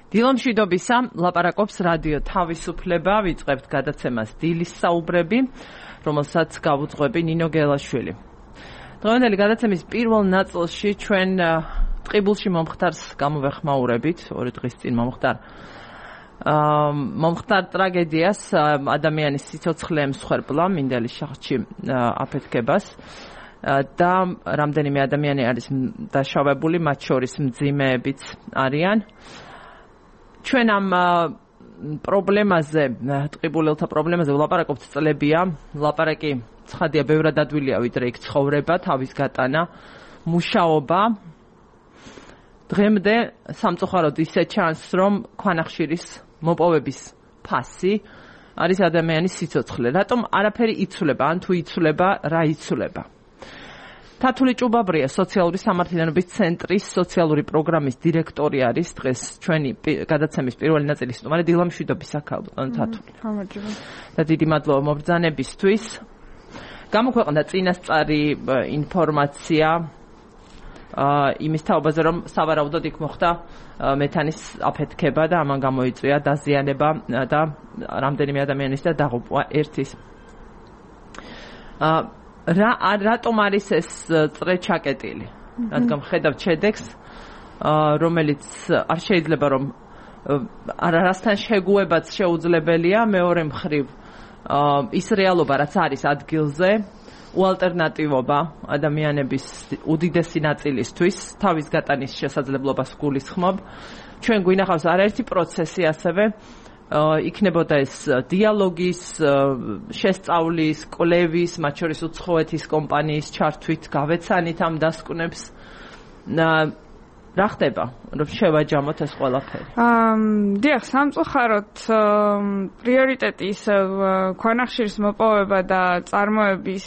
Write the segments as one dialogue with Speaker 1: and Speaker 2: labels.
Speaker 1: დილომშვიდობისა, ლაპარაკობს რადიო თავისუფლება, ვიწყებთ გადაცემას დილის საუბრები, რომელსაც გავუძღვები ნინო გელაშვილი. დღევანდელი გადაცემის პირველ ნაწილში ჩვენ ტყიბულში მომხდარს გამოვეხმაურებით, 2 დღის წინ მომხდარ ტრაგედიას, ადამიანის სიცოცხლე ემსხვერპლა, მინდელის შახტში აფეთქებას და რამდენიმე ადამიანი არის დაშავებული, მათ შორის მძიმეებიც არიან. ჩვენ ამ პრობლემაზე, ტყიბულელთა პრობლემაზე ვლაპარაკობთ წლებია. ლაპარაკი ცხადია, ბევრად ადვილია, ვიდრე იქ ცხოვრება, თავის გატანა, მუშაობა. დღემდე სამწუხაროდ ისე ჩანს, რომ ქვანახშირის მოპოვების ფასი არის ადამიანის სიცოცხლე. რატომ არაფერი იცვლება, ან თუ იცვლება, რა იცვლება? თათული ჭუბაბრია სოციალური სამართლიანობის ცენტრის სოციალური პროგრამის დირექტორი არის დღეს ჩვენი გადაცემის პირველი ნაწილის სტუმარი. დილომშვიდობისა თათული. და დიდი მადლობა მობრძანებისთვის. გამოქვეყნდა წინასწარი ინფორმაცია იმის თაობაზე, რომ სავარაუდოდ იქ მოხდა მეთანის αφეთქება და ამან გამოიწვია დაზიანება და რამდენიმე ადამიანის და დაღუპვა ერთის. რატომ არის ეს წრე ჩაკეტილი? რადგან ხედავთ შედეგს, რომელიც არ შეიძლება რომ არასთან შეგუებაც შეუძლებელია, მეორე მხრივ ის რეალობა, რაც არის ადგილზე, უალტერნატივობა ადამიანების უდიდესი ნაწილისთვის, თავის გატანის შესაძლებლობას გულისხმობ. ჩვენ გვინახავს არაერთი პროცესი ასევე იქნებოდა ეს დიალოგის, შესწავლის, კვლევის, მათ შორის უცხოეთის კომპანიის ჩართვით, გავეცანით ამ დასკვნებს. რა ხდება, რომ შევაჯამოთ ეს ყველაფერი?
Speaker 2: დიახ, სამწუხაროდ პრიორიტეტი ისევ ქვანახშირის მოპოვება და წარმოების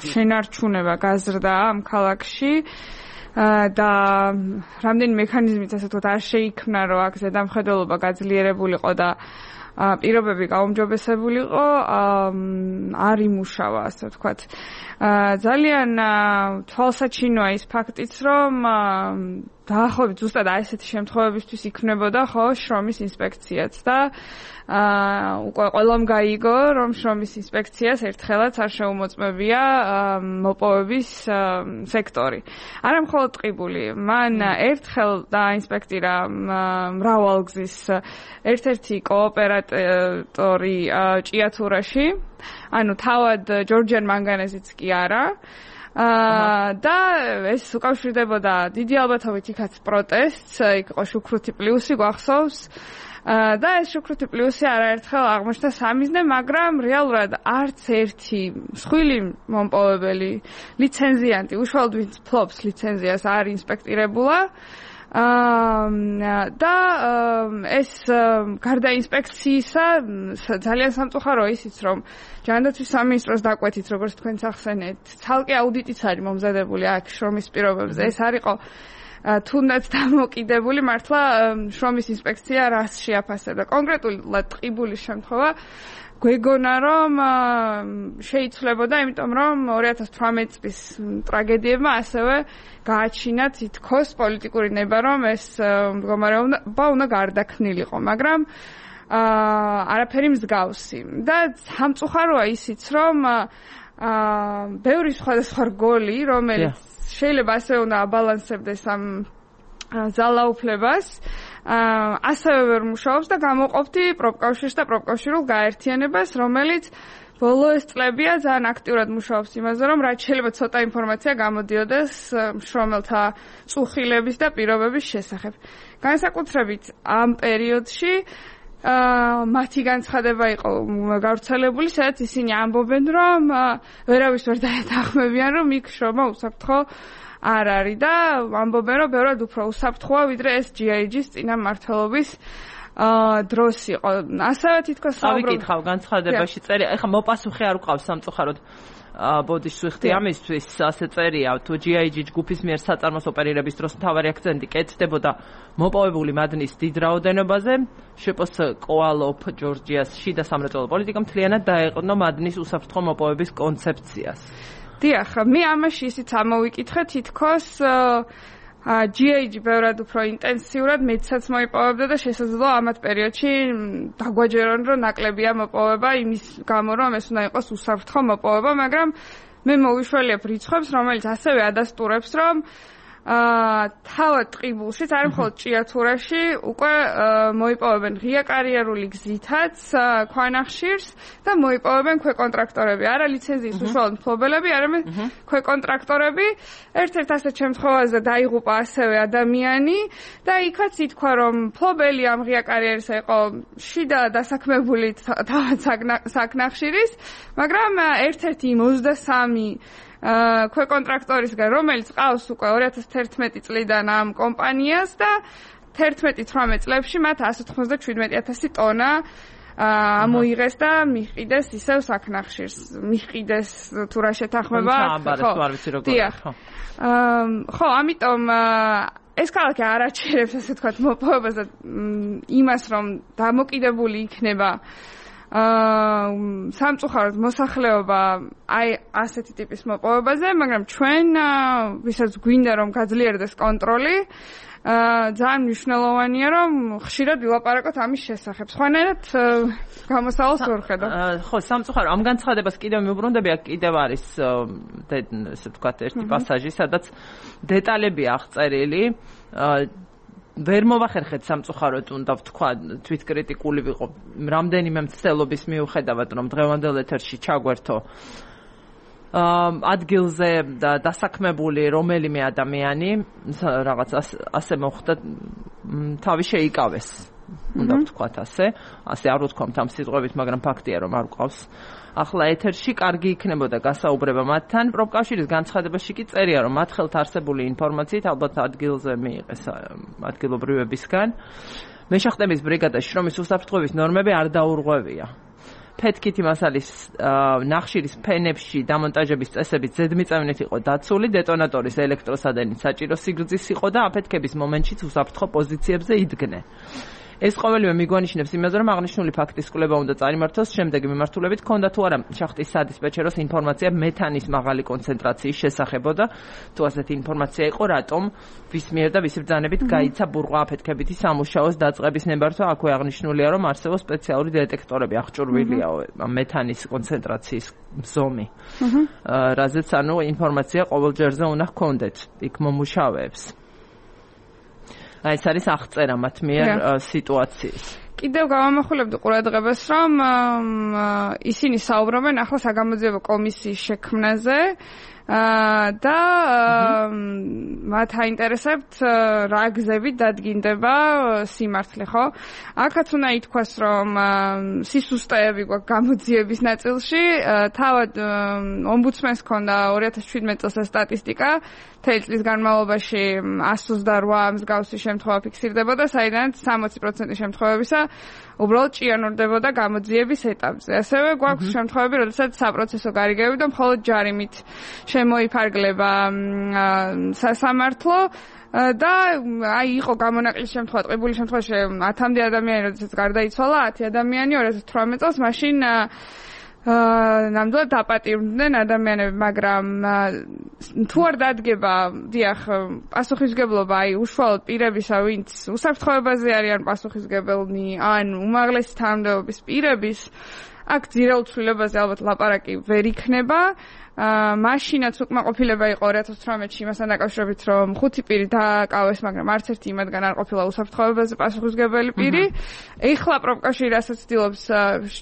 Speaker 2: შენარჩუნება გაზრდა ამ ქალაქში. და რამდენი მექანიზმით ასე ვთქვათ არ შეიქმნა, რომ აქ ზედამხედველობა გაძლიერებულიყო და პირობები გაუმჯობესებულიყო, არ იმუშავა, ასე ვთქვათ. ძალიან თვალსაჩინოა ის ფაქტიც, რომ დაახლოებით ზუსტად ესეთი შემთხვევებისთვის იქნებოდა ხო შრომის ინსპექციაც და უკვე ყველამ გაიგო, რომ შრომის ინსპექციას ერთხელაც არ შეუმოწმებია მოპოვების სექტორი. არა მხოლოდ ტყიბული, მან ერთხელ დაინსპექტირა მრავალგზის ერთ-ერთი კოოპერატორი ჭიათურაში, ანუ თავად ჯორჯიან მანგანეზიც კი არა. და ეს უკავშირდებოდა დიდი ალბათობით იქაც პროტესტს, იქ იყო შუქრუთი პლუსი გვახსოვს. და ეს შუქრუთი პლუსი არაერთხელ აღმოჩნდა სამიზნე, მაგრამ რეალურად არც ერთი მსხვილი მომპოვებელი ლიცენზიანტი, უშუალოდ ვინც ფლობს ლიცენზიას, არ ინსპექტირებულა. და ეს გარდა ინსპექციისა ძალიან სამწუხაროა ისიც, რომ ჯანდაცვის სამინისტროს დაკვეთით, როგორც თქვენც ახსენეთ, ცალკე აუდიტიც არის მომზადებული აქ შრომის პირობებზე. ეს არ იყო თუნდაც დამოკიდებული მართლა შრომის ინსპექცია რას შეაფასებდა. კონკრეტულად ტყიბულის შემთხვევა გვეგონა, რომ შეიცვლებოდა, იმიტომ რომ 2018 წლის ტრაგედიებმა ასევე გააჩინა თითქოს პოლიტიკური ნება, რომ ეს მდგომარეობა უნდა გარდაქმნილიყო, მაგრამ არაფერი მსგავსი. და სამწუხაროა ისიც, რომ ბევრი სხვადასხვა რგოლი, რომელიც შეიძლება ასე უნდა აბალანსებდეს ამ ძალაუფლებას, ასევე ვერ მუშაობს და გამოყოფთ პროფკავშირს და პროფკავშირულ გაერთიანებას, რომელიც ბოლო ეს წლებია ძალიან აქტიურად მუშაობს იმაზე, რომ რაც შეიძლება ცოტა ინფორმაცია გამოდიოდეს მშრომელთა წუხილების და პირობების შესახებ. განსაკუთრებით ამ პერიოდში მათი განცხადება იყო გავრცელებული, სადაც ისინი ამბობენ, რომ ვერავის ვერ დაეთანხმებიან, რომ იქ შრომა უსაფრთხო არ არის და ამბობენ, რომ ბევრად უფრო უსაფრთხოა, ვიდრე ეს GIG-ის წინამმართველობის დროს იყო. ასევე თითქოს
Speaker 1: ავიკითხავ განცხადებაში წერია, ეხლა მოპასუხე არ უყავს სამწუხაროდ ბოდიშს ვიხდი ამისთვის, ასე წერია, თუ GIG ჯგუფის მიერ საწარმოს ოპერირების დროს მთავარი აქცენტი კეთდებოდა მოპოვებული მადნის დიდ რაოდენობაზე, შვპს კოალოფ ჯორჯიას შიდა სამრეწველო პოლიტიკა მთლიანად დაეყრდნო მადნის უსაფრთხო მოპოვების კონცეფციას.
Speaker 2: დიახ, მე ამაში ისიც ამოვიკითხე, თითქოს GAG ბევრად უფრო ინტენსიურად მეცაც მოიპოვებდა და შესაძლოა ამათ პერიოდში დაგვაჯერონ რომ ნაკლებია მოპოვება იმის გამო რომ ეს უნდა იყოს უსაფრთხო მოპოვება, მაგრამ მე მოვიშველიებ რიცხვებს, რომელიც ასევე ადასტურებს რომ თავად ტყიბულშიც არ მხოლოდ ჭიათურაში უკვე მოიპოვებენ ღია კარიერული გზითაც ქვანახშირს და მოიპოვებენ ქვეკონტრაქტორები, არა ლიცენზიის უშუალოდ მფლობელები, არამედ ქვეკონტრაქტორები. ერთ-ერთ ასეთ შემთხვევაზე დაიღუპა ასევე ადამიანი და იქაც ითქვა რომ მფლობელი ამ ღია კარიერისა იყო შიდა დასაქმებული თავად საკნახშირის, მაგრამ ერთ-ერთი 23 ქვეკონტრაქტორისგან, რომელიც ყავს უკვე 2011 წლიდან ამ კომპანიას და 11-18 წლებში მათ 197,000 ტონა მოიღეს და მიჰყიდეს ისევ საკნახშირს. მიჰყიდეს თუ რა შეთანხმება, ხო, ამიტომ ეს ქალაქი არ აჩერებს ასე თქვათ მოპოვებას და იმას რომ დამოკიდებული იქნება სამწუხაროდ მოსახლეობა აი ასეთი ტიპის მოპოვებაზე, მაგრამ ჩვენ ვისაც გვინდა რომ გაძლიერდეს კონტროლი, ძალიან მნიშვნელოვანია რომ ხშირად ვილაპარაკოთ ამის შესახებ. სხვანაირად გამოსავალს ვერ ხედავ.
Speaker 1: ხო, სამწუხარო ამ განცხადებას კიდევ მიუბრუნდები, აქ კიდევ არის ესე ვთქვათ ერთი პასაჟი, სადაც დეტალებია აღწერილი. ვერ მოვახერხეთ სამწუხაროდ უნდა ვთქვა თვითკრიტიკული ვიყო რამდენიმე მცდელობის მიუხედავად რომ დღევანდელ ეთერში ჩაგვერთო ადგილზე დასაქმებული რომელიმე ადამიანი რაღაც ასე მოხდა თავი შეიკავეს უნდა ვთქვათ ასე არ ვთქვამთ ამ სიტყვებით მაგრამ ფაქტია რომ არ გვყავს ახლა ეთერში კარგი იქნებოდა გასაუბრება მათთან პროფკავშირის განცხადებაში კი წერია რომ მათ ხელთ არსებული ინფორმაციით ალბათ ადგილზე მიიღეს ადგილობრივებისგან მეშახტების ბრიგადაში შრომის უსაფრთხოების ნორმები არ დაურღვევია ფეთქითი მასალის ნახშირის ფენებში დამონტაჟების წესებით ზედმიწევნით იყო დაცული დეტონატორის ელექტროსადენის საჭირო სიგრძის იყო და აფეთქების მომენტშიც უსაფრთხო პოზიციებზე იდგნენ ეს ყოველივე მიგვანიშნებს იმაზე, რომ აღნიშნული ფაქტის კვლევა უნდა წარიმართოს შემდეგი მიმართულებით, ჰქონდა თუ არა შახტის სადისპეჩეროს ინფორმაცია მეთანის მაღალი კონცენტრაციის შესახებ და თუ ასეთი ინფორმაცია იყო, რატომ ვის მიერ და ვის ბრძანებით გაიცა ბურღვა აფეთქებითი სამუშაოს დაწყების ნებართვა, აქვე აღნიშნულია, რომ არსებობს სპეციალური დეტექტორები, აღჭურვილია მეთანის კონცენტრაციის ზომი. რაზეც ანუ ინფორმაცია ყოველ ჯერზე უნდა ჰქონდეთ იქ მომუშავეებს. აი ეს არის აღწერა მათ მიერ სიტუაციის.
Speaker 2: კიდევ გავამახვილებდი ყურადღებას, რომ ისინი საუბრობენ ახლა საგამოძიებო კომისიის შექმნაზე და მათ აინტერესებთ რა გზებით დადგინდება სიმართლე, ხო? აქაც უნდა ითქვას, რომ სისუსტეები გვაქვს გამოძიების ნაწილში, თავად ომბუდსმენს ჰქონდა 2017 წელს სტატისტიკა წლის განმავლობაში 128 მსგავსი შემთხვევა ფიქსირდებოდა, საიდანაც 60% შემთხვევებისა უბრალოდ ჭიანურდებოდა გამოძიების ეტაპზე. ასევე გვაქვს შემთხვევები, როდესაც საპროცესო გარიგები და მხოლოდ ჯარიმით შემოიფარგლება სასამართლო და აი იყო გამონაკლისი შემთხვევა, ტყიბული შემთხვევაში 10-მდე ადამიანი, როდესაც გარდაიცვალა 10 ადამიანი 2018 წელს, მაშინ ნამდვილად დაპატიმრდნენ ადამიანები, მაგრამ თუ არ დადგება, დიახ, პასუხისმგებლობა, აი უშუალოდ პირებისა, ვინც უსაფრთხოებაზე არიან პასუხისმგებელნი, ან უმაღლესი თანამდებობის პირების, აქ ძირეულ ცვლილებაზე ალბათ ლაპარაკი ვერ იქნება. მაშინაც უკმაყოფილება იყო 2018-ში იმასთან დაკავშირებით, რომ 5 პირი დააკავეს, მაგრამ არც ერთი იმათგან არ ყოფილა უსაფრთხოებაზე პასუხისმგებელი პირი. ეხლა პროფკავშირი რასაც ცდილობს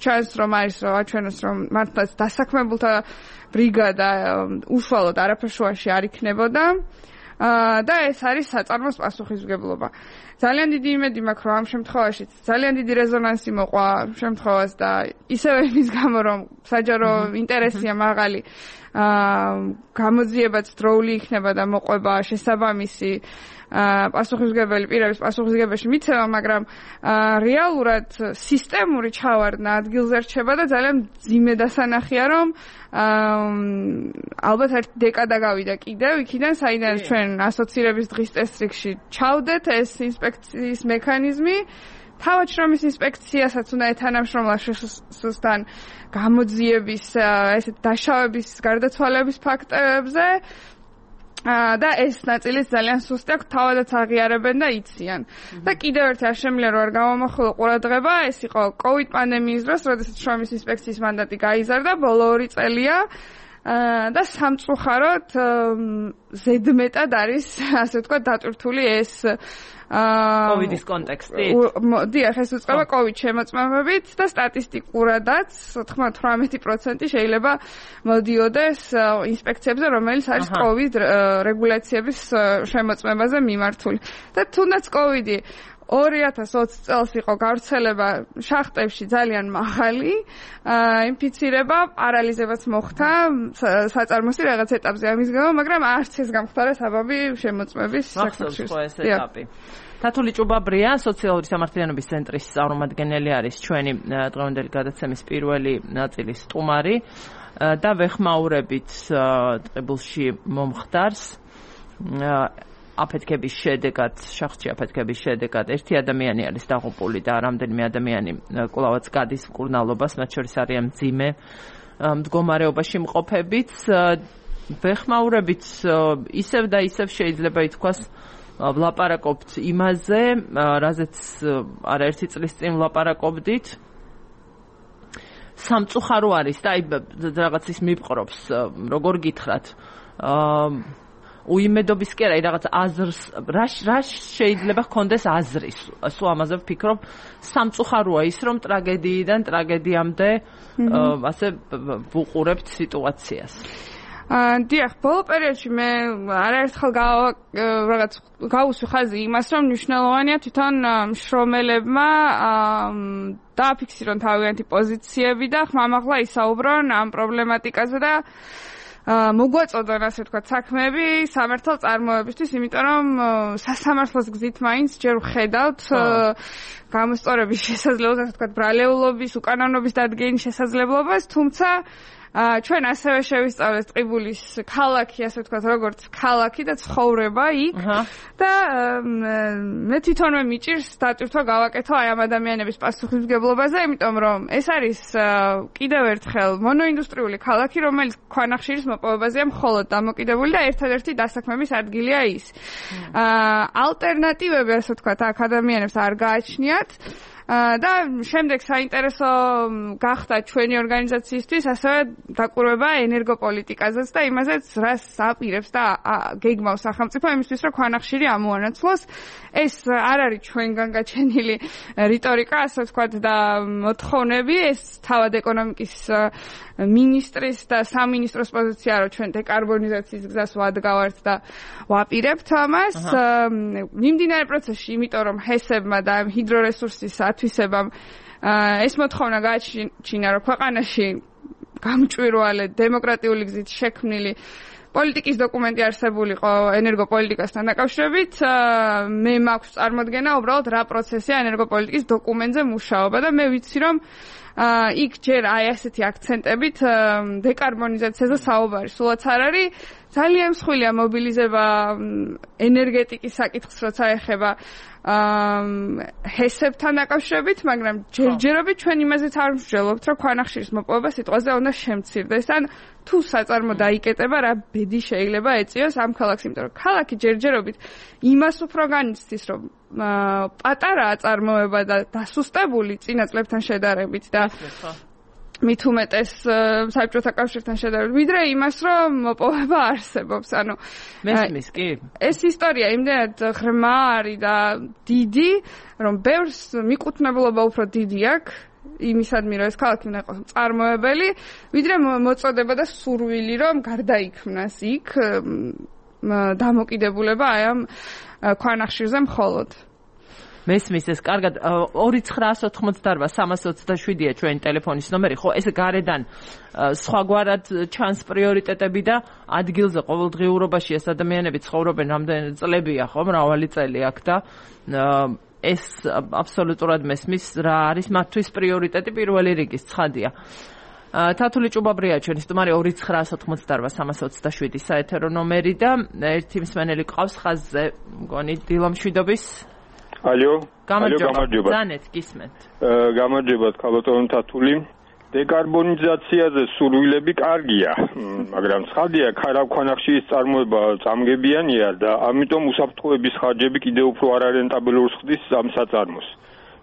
Speaker 2: ჩანს, რომ არის აჩვენოს, რომ მართლაც დასაქმებულთა ბრიგადა უშუალოდ არაფერშუაში არ იქნებოდა. და ეს არის საწარმოს პასუხისმგებლობა. ძალიან დიდი იმედი მაქვს, რომ ამ შემთხვევაში ძალიან დიდი რეზონანსი მოყვა შემთხვევას და ისევე იმის გამო, რომ საჯარო ინტერესია მაღალი გამოძიებაც დროული იქნება და მოყვება შესაბამისი პასუხისმგებელი პირების პასუხისმგებელში მიცემა, მაგრამ რეალურად სისტემური ჩავარდნა ადგილზე რჩება და ძალიან მძიმე დასანახია, რომ ალბათ ერთ დეკადა გავიდა კიდევ იქიდან, საიდან ჩვენ ასოცირების დღის წესრიგში ჩავდეთ ეს ინსპექციის მექანიზმი. თავად შრომის ინსპექციასაც უნდა ეთანამშრომლა შესუსტან გამოძიების ესეთ დაშავების გარდაცვალების ფაქტებზე. და ეს ნაწილიც ძალიან სუსტი აქვს, თავადაც აღიარებენ და იციან. და კიდევ ერთი არ შემიძლია რომ არ გამომახვილო ყურადღება, ეს იყო COVID პანდემიის დროს, როდესაც შრომის ინსპექციის მანდატი გაიზარდა, ბოლო 2 წელია. და სამწუხაროდ ზედმეტად არის, ასე ვთქვათ, დატვირთული ეს
Speaker 1: COVID-ის კონტექსტი.
Speaker 2: დიახ, ეს უწყება COVID შემოწმებებით და სტატისტიკურადაც 98% შეიძლება მოდიოდეს ინსპექციებზე, რომელიც არის COVID რეგულაციების შემოწმებაზე მიმართული. და თუნდაც COVID-ი 2020 წელს იყო გავრცელება შახტებში ძალიან მაღალი, ინფიცირება, პარალიზებაც მოხდა საწარმოში რაღაც ეტაპზე ამის გამო, მაგრამ არც ეს გამხდარა საბაბი შემოწმების
Speaker 1: საქმეში. ეს ეტაპი. თათული ჭუბაბრია, სოციალური სამართლიანობის ცენტრის წარმომადგენელი არის ჩვენი დღევანდელი გადაცემის პირველი ნაწილის სტუმარი და ვეხმაურებით ტყიბულში მომხდარს აფეთქების შედეგად, შახტში აფეთქების შედეგად ერთი ადამიანი არის დაღუპული და რამდენიმე ადამიანი კვლავაც გადის მკურნალობას, მათ შორის არიან მძიმე მდგომარეობაში მყოფებიც. ვეხმაურებით ისევ და ისევ შეიძლება ითქვას ვლაპარაკობთ იმაზე, რაზეც არაერთი წლის წინ ვლაპარაკობდით. სამწუხარო არის და აი რაღაც ის მიპყრობს, როგორ გითხრათ. უიმედობის კი არა, რაღაც აზრს რა შეიძლება ჰქონდეს აზრის. სულ ამაზე ვფიქრობ, სამწუხაროა ის, რომ ტრაგედიიდან ტრაგედიამდე ასე ვუყურებთ სიტუაციას.
Speaker 2: დიახ, ბოლო პერიოდში მე არაერთხელ რაღაც გავუსვი ხაზი იმას, რომ მნიშვნელოვანია თვითონ მშრომელებმა დააფიქსირონ თავიანთი პოზიციები და ხმამაღლა ისაუბრონ ამ პრობლემატიკაზე და მოგვაწოდონ ასე ვთქვათ საქმეები სამართალ წარმოებისთვის, იმიტომ რომ სასამართლოს გზით მაინც ჯერ ვხედავთ გამოსწორების შესაძლებლობას, ასე ვთქვათ ბრალეულობის, უკანონობის დადგენის შესაძლებლობას, თუმცა ჩვენ ასევე შევისწავლეთ ტყიბულის ქალაქი, ასე ვთქვათ, როგორც ქალაქი და ცხოვრება იქ და მე თვითონვე მიჭირს დატვირთვა გავაკეთო აი ამ ადამიანების პასუხისმგებლობაზე, იმიტომ რომ ეს არის კიდევ ერთხელ მონოინდუსტრიული ქალაქი, რომელიც ქვანახშირის მოპოვებაზეა მხოლოდ დამოკიდებული და ერთადერთი დასაქმების ადგილია ის. ალტერნატივები, ასე ვთქვათ, აქ ადამიანებს არ გააჩნიათ. და შემდეგ საინტერესო გახდა ჩვენი ორგანიზაციისთვის ასევე დაკვირვება ენერგოპოლიტიკაზეც და იმაზეც, რას აპირებს და გეგმავს სახელმწიფო იმისთვის, რომ ქვანახშირი ამოანაცვლოს. ეს არ არის ჩვენგან გაჩენილი რიტორიკა, ასე ვთქვათ, და მოთხოვნები, ეს თავად ეკონომიკის მინისტრის და სამინისტროს პოზიცია, რომ ჩვენ დეკარბონიზაციის გზას ვადგავართ და ვაპირებთ ამას. მიმდინარე პროცესში, იმიტომ რომ ჰესებმა და ჰიდრორესურსის ათვისებამ ეს მოთხოვნა გააჩინა, რომ ქვეყანაში გამჭვირვალე დემოკრატიული გზით შექმნილი პოლიტიკის დოკუმენტი არსებულიყო ენერგოპოლიტიკასთან დაკავშირებით, მე მაქვს წარმოდგენა უბრალოდ რა პროცესია ენერგოპოლიტიკის დოკუმენტზე მუშაობა და მე ვიცი, რომ იქ ჯერ აი ასეთი აქცენტებით დეკარბონიზაციაზე საუბარი სულაც არ არის. ძალიან მსხვილია მობილიზება ენერგეტიკის საკითხს, როცა ეხება ჰესებთან დაკავშირებით, მაგრამ ჯერჯერობით ჩვენ იმაზეც არ ვსჯელობთ, რომ ქვანახშირის მოპოვება სიტყვაზე უნდა შემცირდეს. ან თუ საწარმო დაიკეტება, რა ბედი შეიძლება ეწიოს ამ ქალაქს, იმიტომ რომ ქალაქი ჯერჯერობით იმას უფრო განიცდის, რომ პატარაა წარმოება და დასუსტებული წინა წლებთან შედარებით და მით უმეტეს საბჭოთა კავშირთან შედარებით, ვიდრე იმას, რომ მოპოვება არსებობს. ანუ
Speaker 1: მესმის კი?
Speaker 2: ეს ისტორია იმდენად ღრმა არის და დიდი, რომ ბევრს მიკუთვნებლობა უფრო დიდი აქვს იმისადმი, რომ ეს ქალაქი უნდა იყოს მწარმოებელი, ვიდრე მოწოდება და სურვილი, რომ გარდაიქმნას იქ დამოკიდებულება აი ამ ქვანახშირზე მხოლოდ.
Speaker 1: მესმის ეს კარგად 2988-327-ია ჩვენი ტელეფონის ნომერი. ხო, ეს გარედან სხვაგვარად ჩანს პრიორიტეტები და ადგილზე ყოველდღიურობაში ეს ადამიანები ცხოვრობენ რამდენი წლებია, ხო, მრავალი წელი აქ და ეს აბსოლუტურად მესმის რა არის მათთვის პრიორიტეტი პირველი რიგის, ცხადია. თათული ჭუბაბრია ჩვენი სტუმარი 2988-327 საეთერო ნომერი და ერთი მსმენელი ყავს ხაზზე, მგონი დილამშვიდობის.
Speaker 3: ალო,
Speaker 1: გამარჯობა. ზანეთ, გისმენთ.
Speaker 3: გამარჯობა, ქალბატონო თათული. დეკარბონიზაციაზე სურვილები კარგია, მაგრამ ცხადია, ქარავ-ქვანახშირის წარმოება წამგებიანია და ამიტომ უსაფრთხოების ხარჯები კიდევ უფრო არარენტაბელურს ხდის ამ საწარმოს.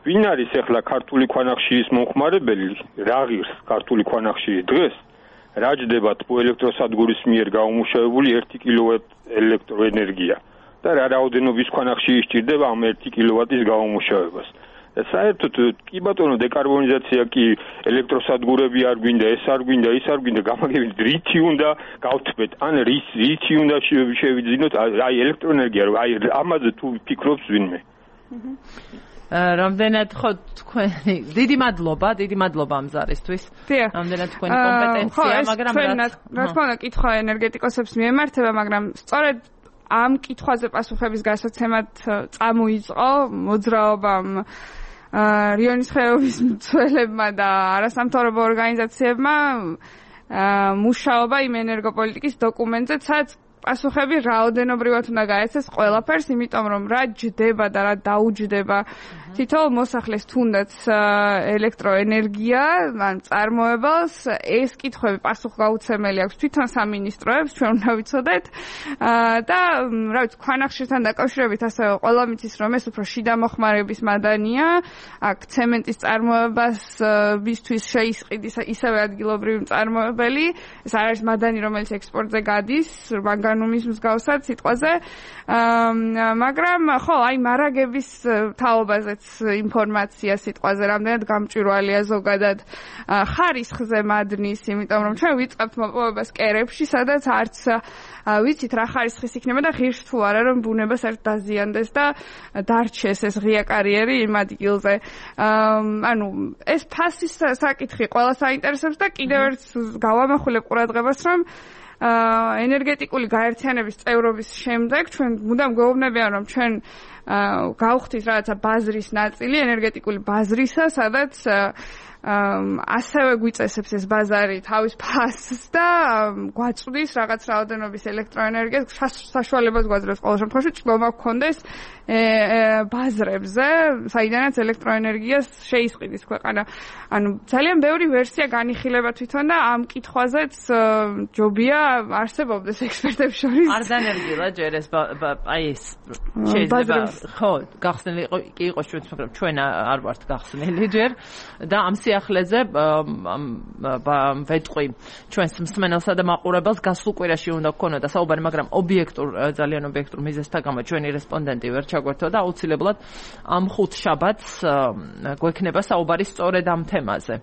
Speaker 3: ვინ არის ახლა ქართული ქვანახშირის მომხმარებელი, რა ღირს ქართული ქვანახშირი დღეს, რა ჯდება თბოელექტროსადგურის მიერ გამომუშავებული 1 კილოვატ ელექტროენერგია და რა რაოდენობის ქვანახშირი სჭირდება ამ 1 კილოვატის გამომუშავებას. საერთოდ კი ბატონო დეკარბონიზაცია კი ელექტროსადგურები არ გვინდა, ეს არ გვინდა, ის არ გვინდა, გამაგებით რითი უნდა გავთბეთ, ან რითი უნდა შევიძინოთ, აი ელექტროენერგია, აი ამაზე თუ ფიქრობს ვინმე.
Speaker 1: რამდენად ხო თქვენი დიდი მადლობა ამ ზარისთვის. რამდენად თქვენი კომპეტენცია, მაგრამ
Speaker 2: რა თქმა უნდა კითხვა ენერგეტიკოსებს მიემართება, მაგრამ სწორედ ამ კითხვაზე პასუხების გასაცემად წამოიწყო მოძრაობამ რიონის ხეობის მცველებმა და არასამთავრობო ორგანიზაციებმა მუშაობა იმ ენერგოპოლიტიკის დოკუმენტზე, სადაც პასუხები რაოდენობრივად უნდა გაეცეს ყველაფერს, იმიტომ რომ რა ჯდება და რა დაუჯდება თითოეულ მოსახლეს თუნდაც ელექტროენერგია, ან წარმოებელს, ეს კითხვები პასუხგაუცემელი აქვს თვითონ სამინისტროებს, ჩვენ უნდა ვიცოდეთ და რა ვიცი, ქვანახშირთან დაკავშირებით ასევე ყველა მიცის, რომ ეს უფრო შიდა მოხმარების მადანია, აქ ცემენტის წარმოებასთვის შეისყიდის ისევე ადგილობრივი მწარმოებელი, ეს არ არის მადანი, რომელიც ექსპორტზე გადის, მანგანუმის მსგავსად სიტყვაზე, მაგრამ ხო, აი მარაგების თაობაზეც ინფორმაცია სიტყვაზე რამდენად გამჭვირვალეა ზოგადად ხარისხზე მადნის, იმიტომ რომ ჩვენ ვიწყებთ მოპოვებას კერებში, სადაც არც ვიცით რა ხარისხის იქნება და ღირს თუ არა რომ ბუნება საერთოდ დაზიანდეს და დარჩეს ეს ღია კარიერი იმ ადგილზე. ანუ ეს ფასის საკითხი ყველას აინტერესებს და კიდევ ერთ გავამახვილებ ყურადღებას, რომ ენერგეტიკული გაერთიანების წევრობის შემდეგ ჩვენ მუდამ გვეუბნებიან, რომ ჩვენ გავხდით რაღაცა ბაზრის ნაწილი, ენერგეტიკული ბაზრისა, სადაც ასევე გვიწესებს ეს ბაზარი თავის ფასს და გვაწვდის რაღაც რაოდენობის ელექტროენერგიას, საშუალებას გვაძლევს ყოველ შემთხვევაში ჭრომა გქონდეს ბაზრებზე, საიდანაც ელექტროენერგიას შეისყიდის ქვეყანა. ანუ ძალიან ბევრი ვერსია განიხილება თვითონ და ამ კითხვაზეც ჯობია არსებობდეს ექსპერტებს შორის.
Speaker 1: არ დანერგილა ჯერ ეს აი ეს შეიძლება ხო გახსნილი კი იყოს ჩვენც, მაგრამ ჩვენ არ ვართ გახსნილი ჯერ და ამ სიახლეზე ვეტყვი ჩვენს მსმენელსა და მაყურებელს გასულ კვირაში უნდა გქონოდა საუბარი, მაგრამ ძალიან ობიექტურ მიზეზთა გამო ჩვენი რესპონდენტი ვერ ჩაგვერთვა და აუცილებლად ამ ხუთ შაბათს გვექნება საუბარი სწორედ ამ თემაზე.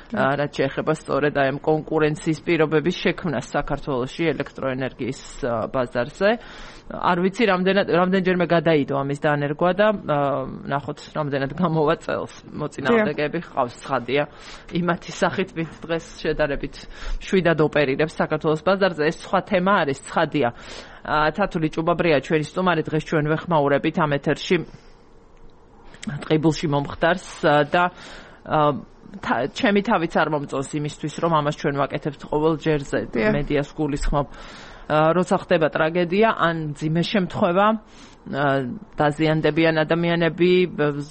Speaker 1: რაც შეეხება სწორედ აი ამ კონკურენციის პირობების შექმნას საქართველოში ელექტროენერგიის ბაზარზე. არ ვიცი რამდენჯერმე გადაიდო ამის დანერგვა და ნახოთ რამდენად გამოვა წელს. მოწინააღმდეგეები ჰყავს, ცხადია. იმათი სახით ვინც დღეს შედარებით შვიდად ოპერირებს საქართველოს ბაზარზე, ეს სხვა თემა არის, ცხადია. თათული ჭუბაბრია ჩვენი სტუმარი, დღეს ჩვენ ვეხმაურებით ამ ეთერში ტყიბულში მომხდარს და ჩემი თავიც არ მომწონს იმისთვის, რომ ამას ჩვენ ვაკეთებთ ყოველ ჯერზე მედიას გულისხმობ. როცა ხდება ტრაგედია, ან მძიმე შემთხვევა, დაზიანდებიან ადამიანები,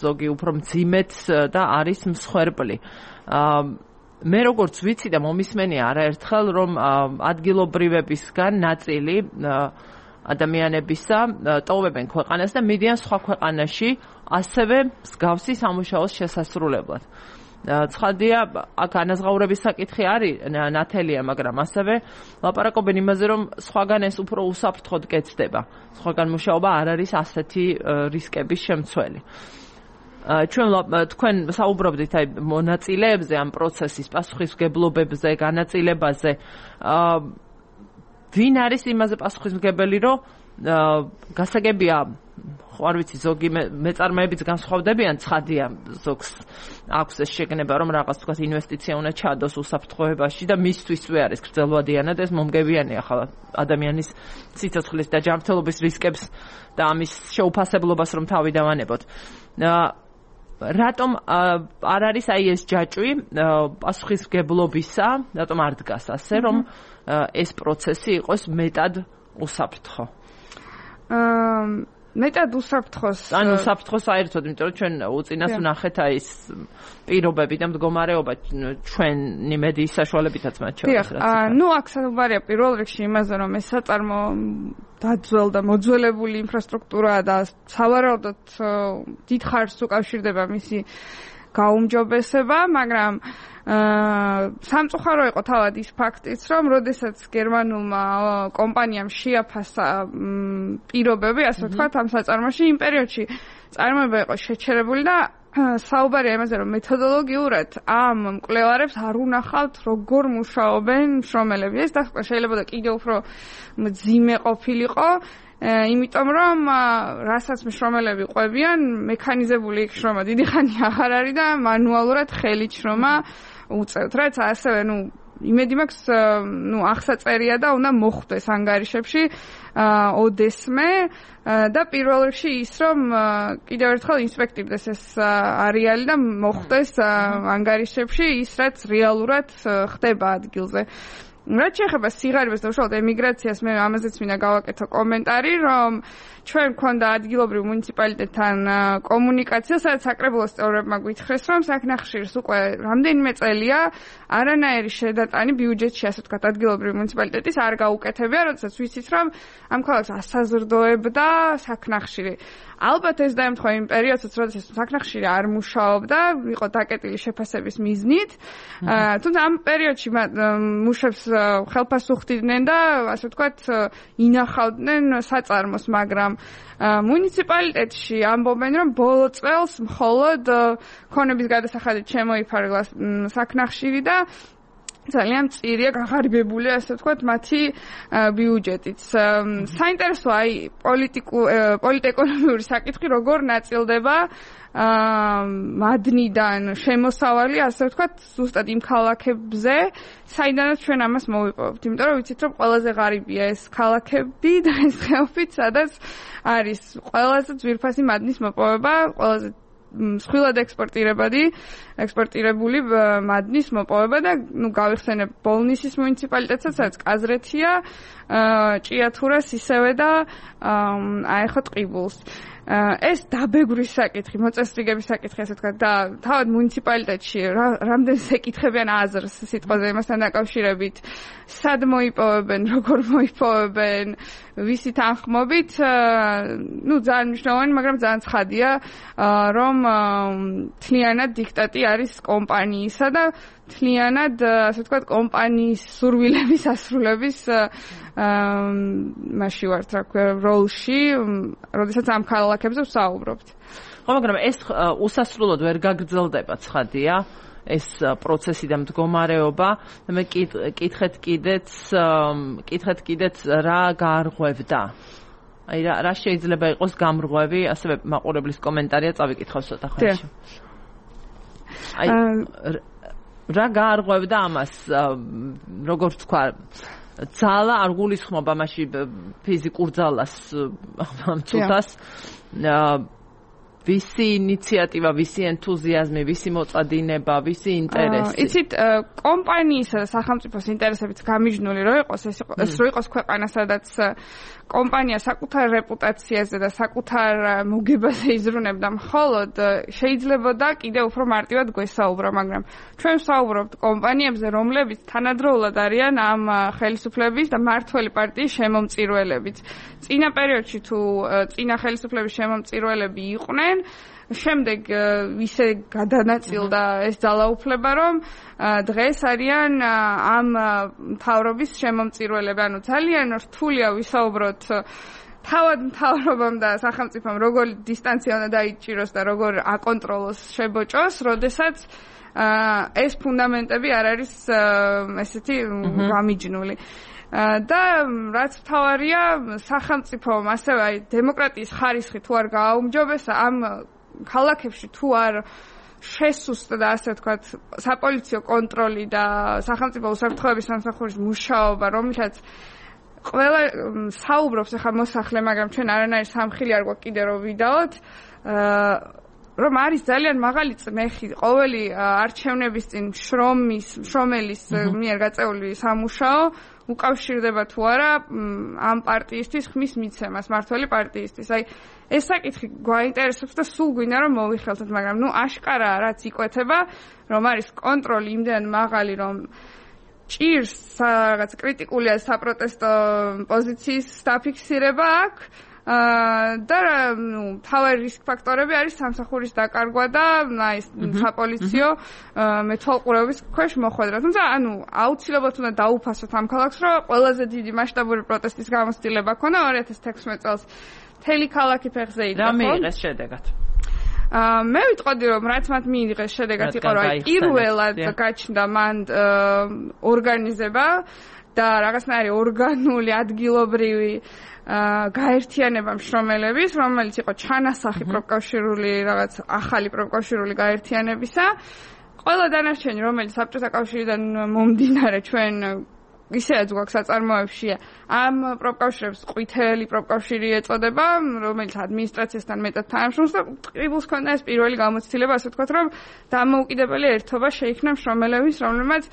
Speaker 1: ზოგი უფრო მძიმედ და არის მსხვერპლი. მე როგორც ვიცი და მომისმენია არაერთხელ, რომ ადგილობრივებისგან ნაწილი ადამიანებისა ტოვებენ ქვეყანას და მიდიან სხვა ქვეყანაში ასევე მსგავსი სამუშაოს შესასრულებლად. ცხადია, აქ ანაზღაურების საკითხი არის ნათელია, მაგრამ ასევე ლაპარაკობენ იმაზე, რომ სხვაგან ეს უფრო უსაფრთხოდ კეთდება. სხვაგან მუშაობა არ არის ასეთი რისკების შემცველი. თქვენ საუბრობდით აი მონაწილეებზე, ამ პროცესის პასუხისმგებლობებზე, განაწილებაზე. ვინ არის იმაზე პასუხისმგებელი, რომ გასაგებია, არ ვიცი, ზოგი მეწარმეებიც განსხვავდებიან, ცხადია, ზოგს აქვს ეს შეგნება, რომ რაღაც თქვა ინვესტიცია უნდა ჩადოს უსაფრთხოებაში და მისთვისვე არის გრძელვადიანად ეს მომგებიანია ახლა ადამიანის სიცოცხლის და ჯანმრთელობის რისკებს და ამის შეუფასებლობას რომ თავი დავანებოთ. რატომ არ არის აი ეს ჯაჭვი პასუხისმგებლობისა, რატომ არ დგას ასე, რომ ეს პროცესი იყოს მეტად უსაფრთხო?
Speaker 2: მეტად უსაფრთხოს.
Speaker 1: ანუ საფრთხო საერთოდ, იმიტომ რომ ჩვენ უწინას ვნახეთ აი ეს პირობები და მდგომარეობა ჩვენი მედიის საშუალებითაც მათ შორის.
Speaker 2: ნუ აქ საუბარია პირველ რიგში იმაზე, რომ ეს საწარმო დაძველ და მოძველებული ინფრასტრუქტურაა და სავარაუდოდ დიდ ხარჯს უკავშირდება მისი გაუმჯობესება, მაგრამ სამწუხარო იყო თავად ის ფაქტიც, რომ როდესაც გერმანულმა კომპანიამ შეაფასა პირობები, ასე ვთქვათ, ამ საწარმოში იმ პერიოდში წარმოება იყო შეჩერებული და საუბარია იმაზე, რომ მეთოდოლოგიურად ამ მკვლევარებს არ უნახავთ როგორ მუშაობენ მშრომელები. ეს დასკვნა შეიძლება და კიდევ უფრო მძიმე ყოფილიყო, იმიტომ რომ რასაც მშრომელები ყვებიან, მექანიზებული იქ შრომა დიდი ხანი აღარ არის და მანუალურად ხელით შრომა უწევთ, რაც ასევე იმედი მაქვს, აღსაწერია და უნდა მოხვდეს ანგარიშებში ოდესმე და პირველ რიგში ის, რომ კიდევ ერთხელ ინსპექტირდეს ეს არეალი და მოხვდეს ანგარიშებში ის, რაც რეალურად ხდება ადგილზე. რაც შეეხება სიღარიბეს და უშუალოდ ემიგრაციას, მე ამაზეც მინდა გავაკეთო კომენტარი, რომ ჩვენ გვქონდა ადგილობრივ მუნიციპალიტეტთან კომუნიკაცია, სადაც საკრებულოს წევრებმა გვითხრეს, რომ საქნახშირს უკვე რამდენიმე წელია არანაირი შედატანი ბიუჯეტში, ასე ვთქვათ, ადგილობრივ მუნიციპალიტეტის არ გაუკეთებია, როდესაც ვიცით, რომ ამ ქალაქს ასაზრდოებდა საქნახშირი. ალბათ ეს დაემთხვა იმ პერიოდსაც, როდესაც საქნახშირი არ მუშაობდა, იყო დაკეტილი შეფასების მიზნით, თუმცა ამ პერიოდში მუშებს ხელფას უხდიდნენ და ასე ვთქვათ, ინახავდნენ საწარმოს, მაგრამ მუნიციპალიტეტში ამბობენ, რომ ბოლო წელს მხოლოდ ქონების გადასახადით შემოიფარგლა საქნახშირი და ძალიან მწირია გაღარიბებული, ასე ვთქვათ, მათი ბიუჯეტიც. საინტერესოა აი პოლიტეკონომიური საკითხი როგორ ნაწილდება მადნიდან შემოსავალი, ასე ვთქვათ, ზუსტად იმ ქალაქებზე, საიდანაც ჩვენ ამას მოვიპოვებთ. იმიტომ რომ ვიცით, რომ ყველაზე ღარიბია ეს ქალაქები და ეს ხეობები, სადაც არის ყველაზე ძვირფასი მადნის მოპოვება, ყველაზე მსხვილად ექსპორტირებული მადნის მოპოვება და გავიხსენებ ბოლნისის მუნიციპალიტეტსაც, სადაც კაზრეთია, ჭიათურას ისევე და აეხო ტყიბულს. ეს დაბეგვრის საკითხი, მოწესრიგების საკითხი, ასე ვთქვათ, და თავად მუნიციპალიტეტში რამდენს ეკითხებიან აზრს სიტყვაზე იმასთან დაკავშირებით, სად მოიპოვებენ, როგორ მოიპოვებენ, ვისი თანხმობით, ძალიან მნიშვნელოვანი, მაგრამ ძალიან ცხადია, რომ თლიანად დიქტატი არის კომპანიისა და თლიანად, ასე ვთქვათ, კომპანიის სურვილების ასრულების მასში ვართ, რა ქვია, როლში, როდესაც ამ ქალაქებზე ვსაუბრობთ.
Speaker 1: ხო, მაგრამ ეს უსასრულოდ ვერ გაგრძელდება, ცხადია, ეს პროცესი და მდგომარეობა. მე კითხეთ კიდეც რა გაარღვევდა. აი რა შეიძლება იყოს გამრღვევი, ასევე მაყურებლის კომენტარია წავიკითხავ ცოტა ხანში. აი რა გაარღვევდა ამას, როგორც თქვა, ძალა არ გულისხმობა მასში ფიზიკურ ძალას ამ ცუდას, ვისი ინიციატივა, ვისი ენთუზიაზმი, ვისი მოწადინება, ვისი ინტერესი.
Speaker 2: იცით, კომპანიისა და სახელმწიფოს ინტერესებიც გამიჯნული რო იყოს, ეს რო იყოს ქვეყანა, სადაც კომპანია საკუთარ რეპუტაციაზე და საკუთარ მოგებაზე იზრუნებდა მხოლოდ, შეიძლებოდა კიდევ უფრო მარტივად გვესაუბრო, მაგრამ ჩვენ ვსაუბრობთ კომპანიებზე, რომლებიც თანადროულად არიან ამ ხელისუფლების და მმართველი პარტიის შემომწირველებიც. წინა პერიოდში თუ წინა ხელისუფლების შემომწირველები იყვნენ, შემდეგ ისე გადანაწილდა ეს ძალაუფლება, რომ დღეს არიან ამ მთავრობის შემომწირველები. ანუ ძალიან რთულია ვისაუბროთ თავად მთავრობამ და სახელმწიფომ როგორ დისტანცია უნდა დაიჭიროს და როგორ აკონტროლოს შებოჭოს, როდესაც ეს ფუნდამენტები არ არის ესეთი გამიჯნული. და რაც მთავარია, სახელმწიფომ ასევე აი დემოკრატიის ხარისხი თუ არ გააუმჯობესა ამ ქალაქებში თუ არ შესუსტდა და ასე ვთქვათ საპოლიციო კონტროლი და სახელმწიფო უსაფრთხოების სამსახურის მუშაობა, რომლითაც ყველა საუბრობს ახლა მოსახლე, მაგრამ ჩვენ არანაირი სამხილი არ გვაქვს კიდე რომ ვიდაოთ, რომ არის ძალიან მაღალი წნეხი ყოველი არჩევნების წინ შრომელის მიერ გაწეული სამუშაო უკავშირდება თუ არა ამ პარტიისთვის ხმის მიცემას, მართველი პარტიისთვის. აი ეს საკითხი გვაინტერესებს და სულ გვინდა რომ მოვიხელთოთ, მაგრამ აშკარა რაც იკვეთება, რომ არის კონტროლი იმდენ მაღალი, რომ ჭირს რაღაც კრიტიკულია საპროტესტო პოზიციის დაფიქსირება აქვს. და თავარი რისკ ფაქტორები არის სამსახურის დაკარგვა და აი საპოლიციო მეთვალყურეობის ქვეშ მოხვედრა. თუმცა აუცილებლად უნდა დაუფასოთ ამ ქალაქს, რომ ყველაზე დიდი მასშტაბური პროტესტის გამოცდილება ქონდა 2016 წელს მთელი ქალაქი ფეხზე იდგა.
Speaker 1: რა მიიღეს შედეგად?
Speaker 2: მე ვიტყოდი რომ რაც მათ მიიღეს შედეგად იყო რომ პირველად გაჩნდა მან ორგანიზება და რაღაცნაირი ორგანული ადგილობრივი გაერთიანება მშრომელების, რომელიც იყო ჩანასახი პროფკავშირული რაღაც ახალი პროფკავშირული გაერთიანებისა. ყველა დანარჩენი, რომელიც საბჭოთა კავშირიდან მომდინარე ჩვენ ისედაც გვაქვს საწარმოებში, ამ პროფკავშირებს ყვითელი პროფკავშირი ეწოდება, რომელიც ადმინისტრაციასთან მეტად თანამშრომლობს და ტყიბულს ქონდა ეს პირველი გამოცდილება, ასე ვთქვათ, რომ დამოუკიდებელი ერთობა შეიქმნა მშრომელების, რომელმაც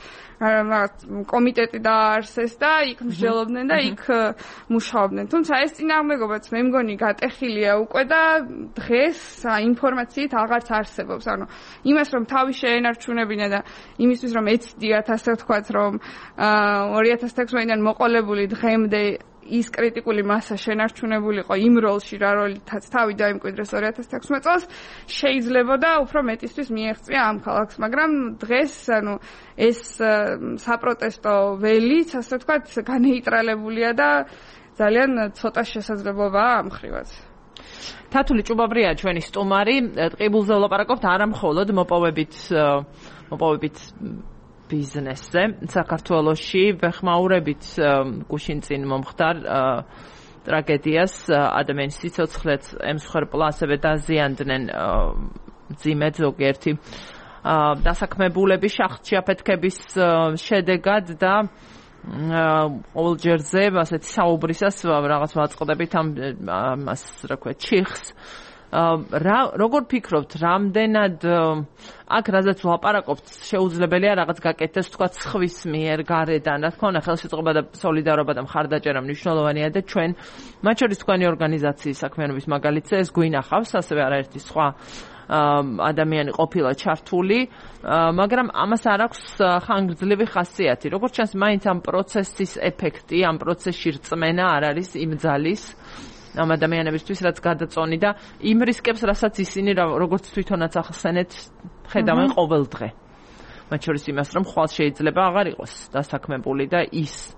Speaker 2: კომიტეტი დააარსეს და იქ მსჯელობდნენ და იქ მუშაობდნენ. თუმცა ეს წინააღმდეგობაც მე მგონი გატეხილია უკვე და დღეს ინფორმაციით აღარც არსებობს. ანუ იმას რომ თავი შეენარჩუნებინა და იმისთვის რომ ეცდიათ, ასე ვთქვათ, რომ 2016-დან მოყოლებული დღემდე ის კრიტიკული მასა შენარჩუნებულიყო იმ როლში, რა როლითაც თავი დაიმკვიდრეს 2016 წელს, შეიძლებოდა უფრო მეტისთვის მიეღწია ამ ქალაქს, მაგრამ დღეს ეს საპროტესტო ველიც, ასე ვთქვათ, განეიტრალებულია და ძალიან ცოტა შესაძლებლობაა ამ ხრივაც.
Speaker 1: თათული ჭუბაბრია ჩვენი სტუმარი, ტყიბულზე ვლაპარაკობთ არა მხოლოდ მოპოვებით ბიზნესზე საქართველოში ვეხმაურებით გუშინ წინ მომხდარ ტრაგედიას ადამიანის სიცოცხლეც ემსხვერპლა ასევე დაზიანდნენ მძიმედ ზოგიერთი დასაქმებულები შახტში აფეთქების შედეგად და ყოველჯერზე ასეთი საუბრისას რაღაც ვაწყდებით ამას რა ქვია ჩიხს როგორ ფიქრობთ, რამდენად აქ რაზეც ვლაპარაკობთ, შეუძლებელია რაღაც გაკეთდეს, თქვა ხვის მიერ გარედან, რა თქმა უნდა, ხელშეწყობა და სოლიდარობა და მხარდაჭერა მნიშვნელოვანია და ჩვენ, მათ შორის თქვენი ორგანიზაციის საქმიანობის მაგალითზე ეს გვინახავს, ასევე არაერთი სხვა ადამიანი ყოფილა ჩართული, მაგრამ ამას არ აქვს ხანგრძლივი ხასიათი. როგორც ჩანს, მაინც ამ პროცესის ეფექტი, ამ პროცესში რწმენა არ არის იმ ძალის ამ ადამიანებისთვის, რაც გადაწონი და იმ რისკებს, რასაც ისინი როგორც თვითონაც ახსენეთ, ხედავენ ყოველ დღე. მათ შორის იმას, რომ ხვალ შეიძლება აღარ იყოს დასაქმებული და ის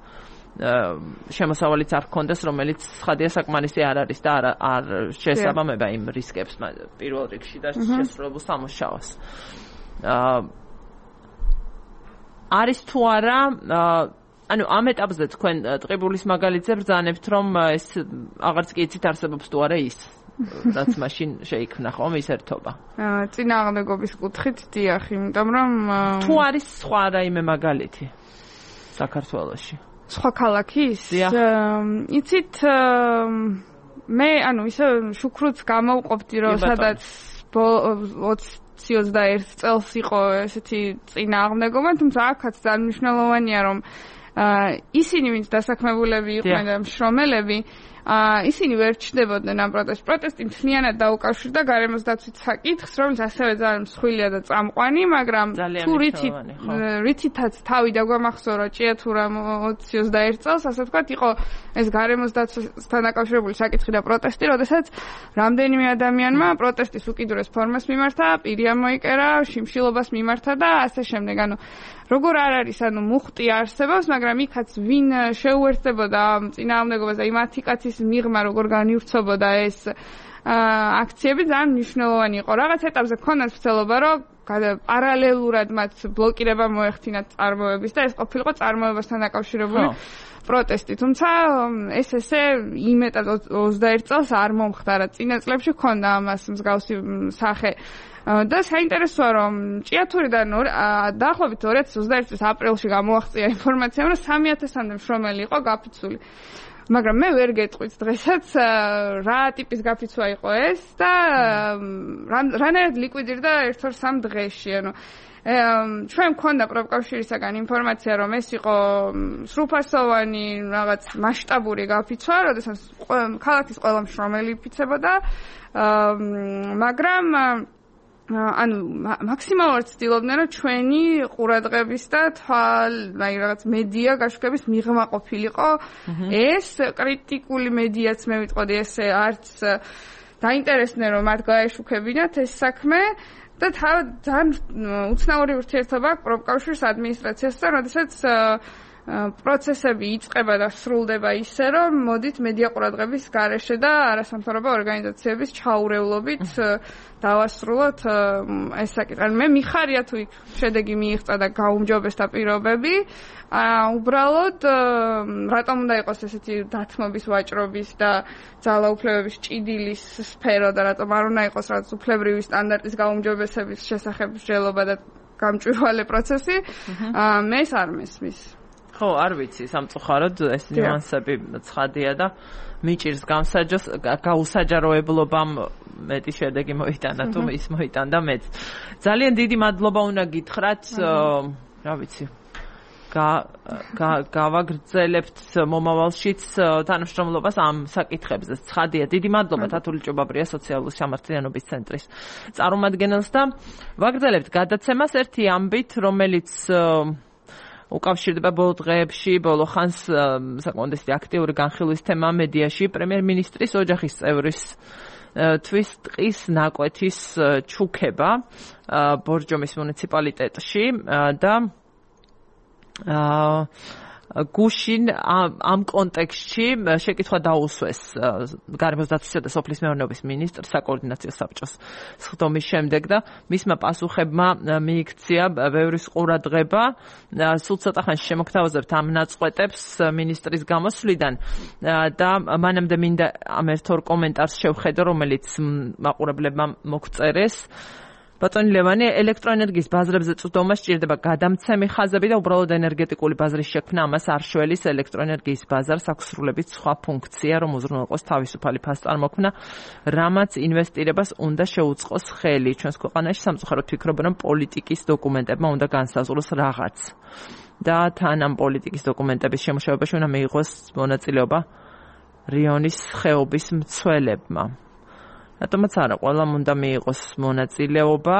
Speaker 1: შემოსავალიც არ გქონდეს, რომელიც ცხადია საკმარისი არ არის და არ შეესაბამება იმ რისკებს პირველ რიგში და შესრულებულ სამუშაოს. არის თუ არა ამ ეტაპზე თქვენ ტყიბულის მაგალითზე ბრძანებთ, რომ ეს აღარც კი იცით არსებობს თუ არა ის, რაც მაშინ შეიქმნა ხომ ის ერთობა.
Speaker 2: წინააღმდეგობის კუთხით დიახ, იმიტომ რომ
Speaker 1: თუ არის სხვა რაიმე მაგალითი საქართველოში.
Speaker 2: სხვა ქალაქის? იცით მე ისე შუქრუც გამოვყოფდი, რომ სადაც 20-21 წელს იყო ესეთი წინააღმდეგობა, თუმცა აქაც ძალიან მნიშვნელოვანია, რომ ისინი ვინც დასაქმებულები იყვნენ და მშრომელები ისინი ვერ ჩნდებოდნენ ამ პროტესტში. პროტესტი მთლიანად დაუკავშირდა გარემოს დაცვის საკითხს, რომელიც ასევე ძალიან მსხვილია და წამყვანი, მაგრამ თუ რითითაც თავი დაგვამახსოვრა ჭიათურამ 20-21 წელს, ასე ვთქვათ, იყო ეს გარემოს დაცვასთან დაკავშირებული საკითხი და პროტესტი, როდესაც რამდენიმე ადამიანმა პროტესტის უკიდურეს ფორმას მიმართა, პირი ამოიკერა, შიმშილობას მიმართა და ასე შემდეგ. როგორ არ არის, მუხტი არსებობს, მაგრამ იქაც ვინ შეუერთდებოდა წინააღმდეგობას და იმ 10 კაცის მიღმა როგორ განივრცობოდა ეს აქციები ძალიან მნიშვნელოვანი იყო. რაღაც ეტაპზე ქონდათ ცდილობა, რომ პარალელურად მათ ბლოკირება მოეხდინათ წარმოების და ეს ყოფილიყო წარმოებასთან დაკავშირებული პროტესტი. თუმცა ეს ესე იმეტად 21 წელს არ მომხდარა. წინა წლებში ქონდა ამას მსგავსი სახე. და საინტერესოა, რომ ჭიათურიდან დაახლოებით 2021 წლის აპრილში გამოაღწია ინფორმაცია, რომ 3000-მდე მშრომელი იყო გაფიცული. მაგრამ მე ვერ გეტყვით დღესაც რა ტიპის გაფიცვა იყო ეს და რანაირად ლიკვიდირდა 1-2-3 დღეში, ანუ ჩვენ მქონდა პროფკავშირისაგან ინფორმაცია, რომ ეს იყო სრულფასოვანი რაღაც მასშტაბური გაფიცვა, როდესაც ქალაქის ყველა მშრომელი იფიცებოდა, მაგრამ ანუ მაქსიმალურად ცდილობდნენ, რომ ჩვენი ყურადღების და რაღაც მედია გაშუქების მიღმა ყოფილიყო. ეს კრიტიკული მედიაც მე ვიტყოდი, ესე არც დაინტერესდნენ, რომ მათ გაეშუქებინათ ეს საქმე. და ძალიან უცნაური ურთიერთობა აქვს პროფკავშირის ადმინისტრაციასთან, როდესაც პროცესები იწყება და სრულდება ისე, რომ მოდით მედია ყურადღების გარეშე და არასამთავრობო ორგანიზაციების ჩაურევლობით დავასრულოთ ეს საკითხი. მე მიხარია თუ იქ შედეგი მიიღწა და გაუმჯობესდა პირობები, უბრალოდ რატომ უნდა იყოს ესეთი დათმობის, ვაჭრობის და ძალაუფლებების ჭიდილის სფერო და რატომ არ უნდა იყოს რაღაც უფლებრივი სტანდარტის გაუმჯობესების შესახებ მსჯელობა და გამჭვირვალე პროცესი, მე ეს არ მესმის.
Speaker 1: ხო, არ ვიცი, სამწუხაროდ ეს ნიუანსები ცხადია და მიჭირს გაუსაჯაროებლობამ მეტი შედეგი მოიტანა თუ ის მოიტანდა მეც. ძალიან დიდი მადლობა უნდა გითხრათ, რა ვიცი, გავაგრძელებთ მომავალშიც თანამშრომლობას ამ საკითხებზე. ცხადია, დიდი მადლობა თათული ჭობაბრია სოციალური სამართლიანობის ცენტრის წარმომადგენელს და ვაგრძელებთ გადაცემას ერთი ამბით, რომელიც უკავშირდება ბოლო დღეებში, ბოლო ხანს საკმაოდ აქტიური განხილვის თემა მედიაში პრემიერ-მინისტრის ოჯახის წევრის თვის ტყის ნაკვეთის ჩუქება ბორჯომის მუნიციპალიტეტში და გუშინ ამ კონტექსტში შეკითხვა დაუსვეს გარემოს დაცვისა და სოფლის მეურნეობის ministrs საკოორდინაციო საბჭოს სხდომის შემდეგ და მისმა პასუხებმა მიიქცია ბევრის ყურადღება სულ ცოტა ხანში შემოგთავაზებთ ამ ნაწყვეტებს ministris გამოსვლიდან და მანამდე მინდა ამ ერთ-ორ კომენტარს შევხედო რომელიც მაყურებლებმა მოგწერეს ბატონი ლევანი ელექტროენერგიის ბაზრებზე წვდომა სჭირდება გადამცემი ხაზები და უბრალოდ ენერგეტიკული ბაზრის შექმნა ამას არ შველის ელექტროენერგიის ბაზარს აქვს სრულებით სხვა ფუნქცია რომ უზრუნველყოს თავისუფალი ფასწარმოქმნა რამაც ინვესტირებას უნდა შეუწყოს ხელი ჩვენს ქვეყანაში სამწუხაროდ ვფიქრობ რომ პოლიტიკის დოკუმენტებმა უნდა განსაზღვროს რაღაც და თან ამ პოლიტიკის დოკუმენტების შემუშავებაში უნდა მიიღოს მონაწილეობა რიონის ხეობის მცველებმა რატომაც არა ყველამ უნდა მიიღოს მონაწილეობა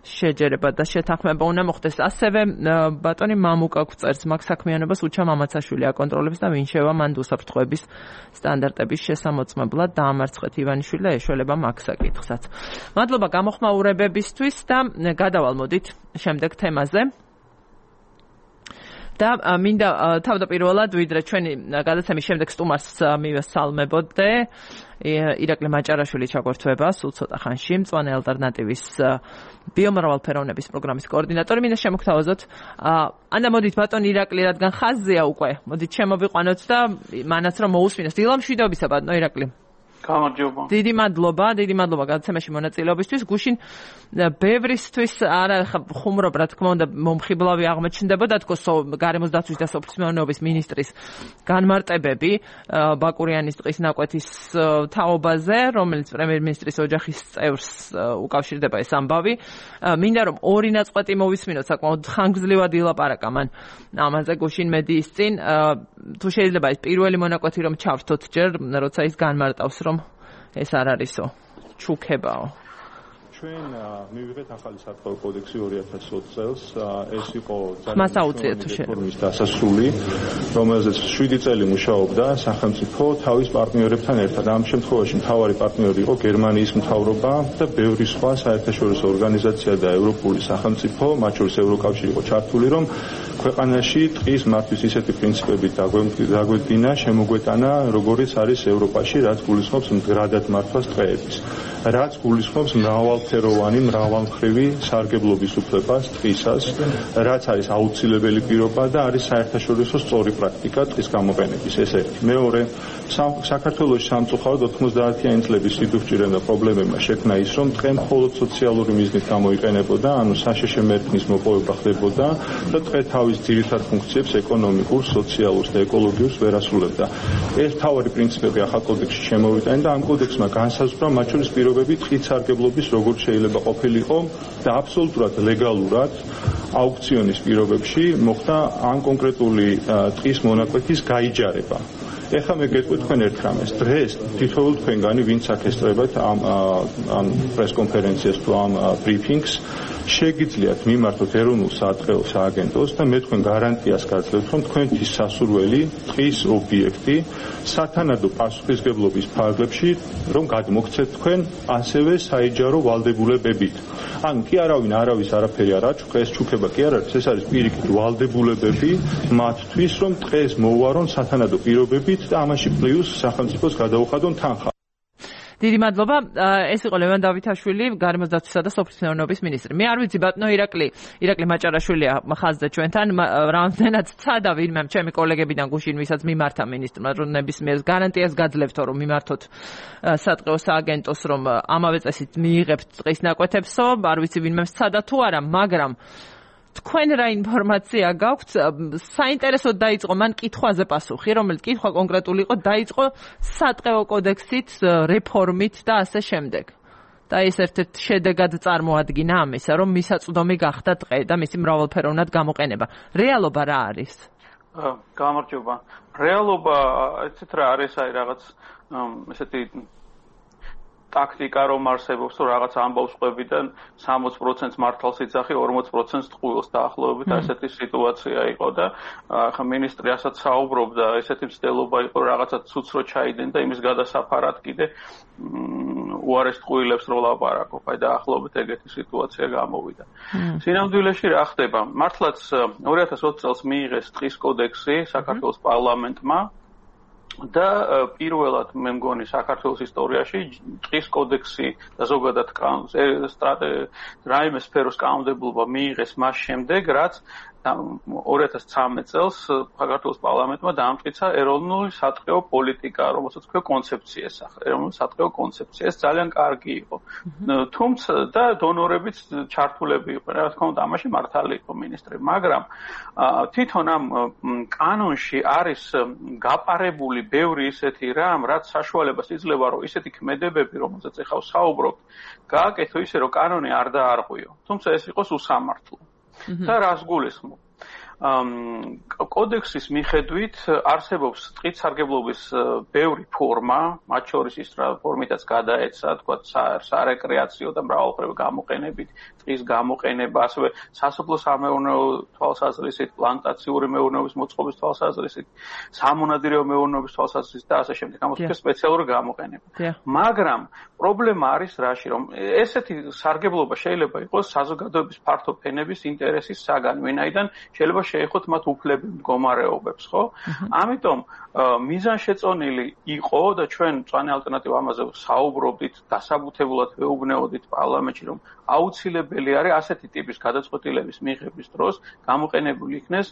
Speaker 1: შეჯერება და შეთანხმება უნდა მოხდეს ასევე ბატონი მამუკა გვწერს მაგ საქმიანობას უჩა მამაცაშვილი აკონტროლებს და ვინ შევა მან უსაფრთხოების სტანდარტების შესამოწმებლად დაამარცხეთ ივანიშვილი და ეშველება მაგ საკითხსაც მადლობა გამოხმაურებებისთვის და გადავალმოდით შემდეგ თემაზე და მინდა თავდაპირველად ვიდრე ჩვენი გადაცემის შემდეგ სტუმარს მივესალმებოდე ირაკლი მაჭარაშვილი ჩაგვერთვება სულ ცოტა ხანში მწვანე ალტერნატივის ბიომრავალფეროვნების პროგრამის კოორდინატორი მინდა შემოგთავაზოთ ანა მოდით ბატონი ირაკლი რადგან ხაზზეა უკვე მოდით შემოვიყვანოთ და მანაც რომ მოусმინოს დილამშვიდობისა ბატონო ირაკლი
Speaker 4: გამარჯობა.
Speaker 1: დიდი მადლობა გადაცემაში მონაწილეობისთვის. გუშინ ბევრისთვის არა ხუმრობ რა თქმა უნდა მომხიბლავი აღმოჩნდებოდა თქო გარემოს დაცვის და სოფლის მეურნეობის ministris განმარტებები ბაკურიანის ტყის ნაკვეთის თაობაზე, რომელიც პრემიერ-მინისტრის ოჯახის წევრს უკავშირდება ეს ამბავი. მინდა რომ ორი ნაწყვეტი მოვისმინოთ საკმაოდ ხანგრძლივად ილაპარაკა მან ამაზე გუშინ მედიის წინ თუ შეიძლება ეს პირველი მონაკვეთი რომ ჩავრთოთ ჯერ როცა ის განმარტავს რომ ეს არ არისო ჩუქებაო
Speaker 5: ჩვენ მივიღეთ ახალი სარწყავი კოდექსი 2020 წელს ეს იყო რეფორმის დასასრული რომელზეც 7 წელი მუშაობდა სახელმწიფო თავის პარტნიორებთან ერთად ამ შემთხვევაში მთავარი პარტნიორი იყო გერმანიის მთავრობა და ბევრი სხვა საერთაშორისო ორგანიზაცია და ევროპული სახელმწიფო მათ შორის ევროკავშირი იყო ჩართული რომ ქვეყანაში ტყის მართვის ისეთი პრინციპები დაგვედგინა შემოგვეტანა როგორიც არის ევროპაში რაც გულისხმობს მდგრადად მართვას ტყეების რაც გულისხმობს მრავალ არაერთფეროვანი მრავალმხრივი სარგებლობის უფლებას ტყისას, რაც არის აუცილებელი პირობა და არის საერთაშორისო სწორი პრაქტიკა ტყის გამოყენების. ეს ერთი. მეორე, საქართველოს სამწუხაროდ 90-იანი წლების სიდუხჭირემ და პრობლემებმა შექმნა ის, რომ ტყე მხოლოდ სოციალური მიზნით გამოიყენებოდა, ანუ საშეშე მერქნის მოპოვება ხდებოდა და ტყე თავის ძირითად ფუნქციებს ეკონომიკურ, სოციალურ და ეკოლოგიურ ვერ ასრულებდა. ეს მთავარი პრინციპები ახალ კოდექსში შემოვიტანა და ამ კოდექსმა განსაზღვრა მათ შორის პირობები ტყით სარგებლობის როგორ შეიძლება ყოფილიყო და აბსოლუტურად ლეგალურად აუქციონის პირობებში მოხდა ამ კონკრეტული ტყის მონაკვეთის გაიჯარება. ეხლა მე გეტყვით თქვენ ერთ რამეს. დღეს თითოეულ თქვენგანი ვინც აქ ესწრებათ ამ პრესკონფერენციას თუ ამ ბრიფინგს შეგიძლიათ მიმართოთ ეროვნულ სატყეო სააგენტოს და მე თქვენ გარანტიას გაძლევთ, რომ თქვენთვის სასურველი ტყის ობიექტი სათანადო პასუხისმგებლობის ფარგლებში რომ გადმოგცეთ თქვენ ასევე საიჯარო ვალდებულებებით. ან კი არავის არაფერი არ აჩუქა, ეს ჩუქება კი არ არის, ეს არის პირიქით ვალდებულებები მათთვის, რომ ტყეს მოუვარონ სათანადო პირობებით და ამაში პლუს სახელმწიფოს გადაუხადონ თანხა.
Speaker 1: დიდი მადლობა. ეს იყო ლევან დავითაშვილი, გარემოს დაცვისა და სოფლის მეურნეობის მინისტრი. მე არ ვიცი ბატონო ირაკლი მაჭარაშვილია ხაზზე ჩვენთან, რამდენად ცადა ვინმე ჩემი კოლეგებიდან გუშინ, ვისაც მიმართა მინისტრმა, რომ ნებისმიერ გარანტიას გაძლევთო, რომ მიმართოთ სატყეო სააგენტოს, რომ ამავე წესით მიიღებთ ტყის ნაკვეთებსო, არ ვიცი ვინმე ცადა თუ არა, მაგრამ თქვენ რა ინფორმაცია გაქვთ? საინტერესოდ დაიწყო მან კითხვაზე პასუხი, რომელიც კითხვა კონკრეტული იყო, დაიწყო სატყეო კოდექსით, რეფორმით და ასე შემდეგ. და ეს ერთ-ერთ შედეგად წარმოადგინა ამისა, რომ მისაწვდომი გახდა ტყე და მისი მრავალფეროვნად გამოყენება. რეალობა რა არის?
Speaker 4: გამარჯობა. რეალობა ეცეთ რა არის, აი რაღაც ესეთი ტაქტიკა რომ არსებობს, რომ რაღაც ამბავს ყვებიდან 60% მართალს იძახი, 40% ტყუილს დაახლოებით ასეთი სიტუაცია იყო და ახლა მინისტრი ასაც საუბრობდა, ესეთი მცდელობა იყო, რაღაცა ცუცრო ჩაიდენ და იმის გადასაფარად კიდე უარეს ტყუილებს რო ლაპარაკობ, აი დაახლოებით ეგეთი სიტუაცია გამოვიდა. სინამდვილეში რა ხდება? მართლაც 2020 წელს მიიღეს ტყის კოდექსი საქართველოს პარლამენტმა და პირველად მე მგონი საქართველოს ისტორიაში ტყის კოდექსი და ზოგადად რაიმე სფეროს კანონმდებლობა მიიღეს მას შემდეგ, რაც 2013 წელს საქართველოს პარლამენტმა დაამტკიცა ეროვნული სატყეო პოლიტიკა, რომელსაც ქვია კონცეფცია სახე, ეროვნული სატყეო კონცეფცია. ეს ძალიან კარგი იყო. თუმცა და დონორებიც ჩართულები იყვნენ, რა თქმა უნდა, ამაში მართალი იყო მინისტრი, მაგრამ თვითონ ამ კანონში არის გაპარებული ბევრი ისეთი რამ, რაც საშუალებას იძლევა, რომ ისეთი ქმედებები, რომელზეც ეხლა ვსაუბრობთ, გააკეთო ისე, რომ კანონი არ დაარღვიო. თუმცა ეს იყოს უსამართლო. და რას გულისხმობ? კოდექსის მიხედვით არსებობს ტყით სარგებლობის ბევრი ფორმა, მათ შორის ის ფორმითაც გადაეცა, თქვა სარეკრეაციო და მრავალმხრივი გამოყენებით, ტყის გამოყენება, ასევე სასოფლო-სამეურნეო თვალსაზრისით, პლანტაციური მეურნეობის მოწყობის თვალსაზრისით, სამონადირეო მეურნეობის თვალსაზრისით და ასე შემდეგ. ამას ქვია სპეციალური გამოყენება. მაგრამ პრობლემა არის რაში, რომ ესეთი სარგებლობა შეიძლება იყოს საზოგადოების ფართო ფენების ინტერესის საგანი, ვინაიდან შეიძლება შეეხოთ მათ უფლები მდგომარეობებს, ხო? ამიტომ მიზანშეწონილი იყო და ჩვენ მწვანე ალტერნატივა ამაზე საუბრობდით, დასაბუთებულად ვეუბნეოდით პარლამენტში, რომ აუცილებელი არის ასეთი ტიპის გადაწყვეტილების მიღების დროს გამოყენებული იქნეს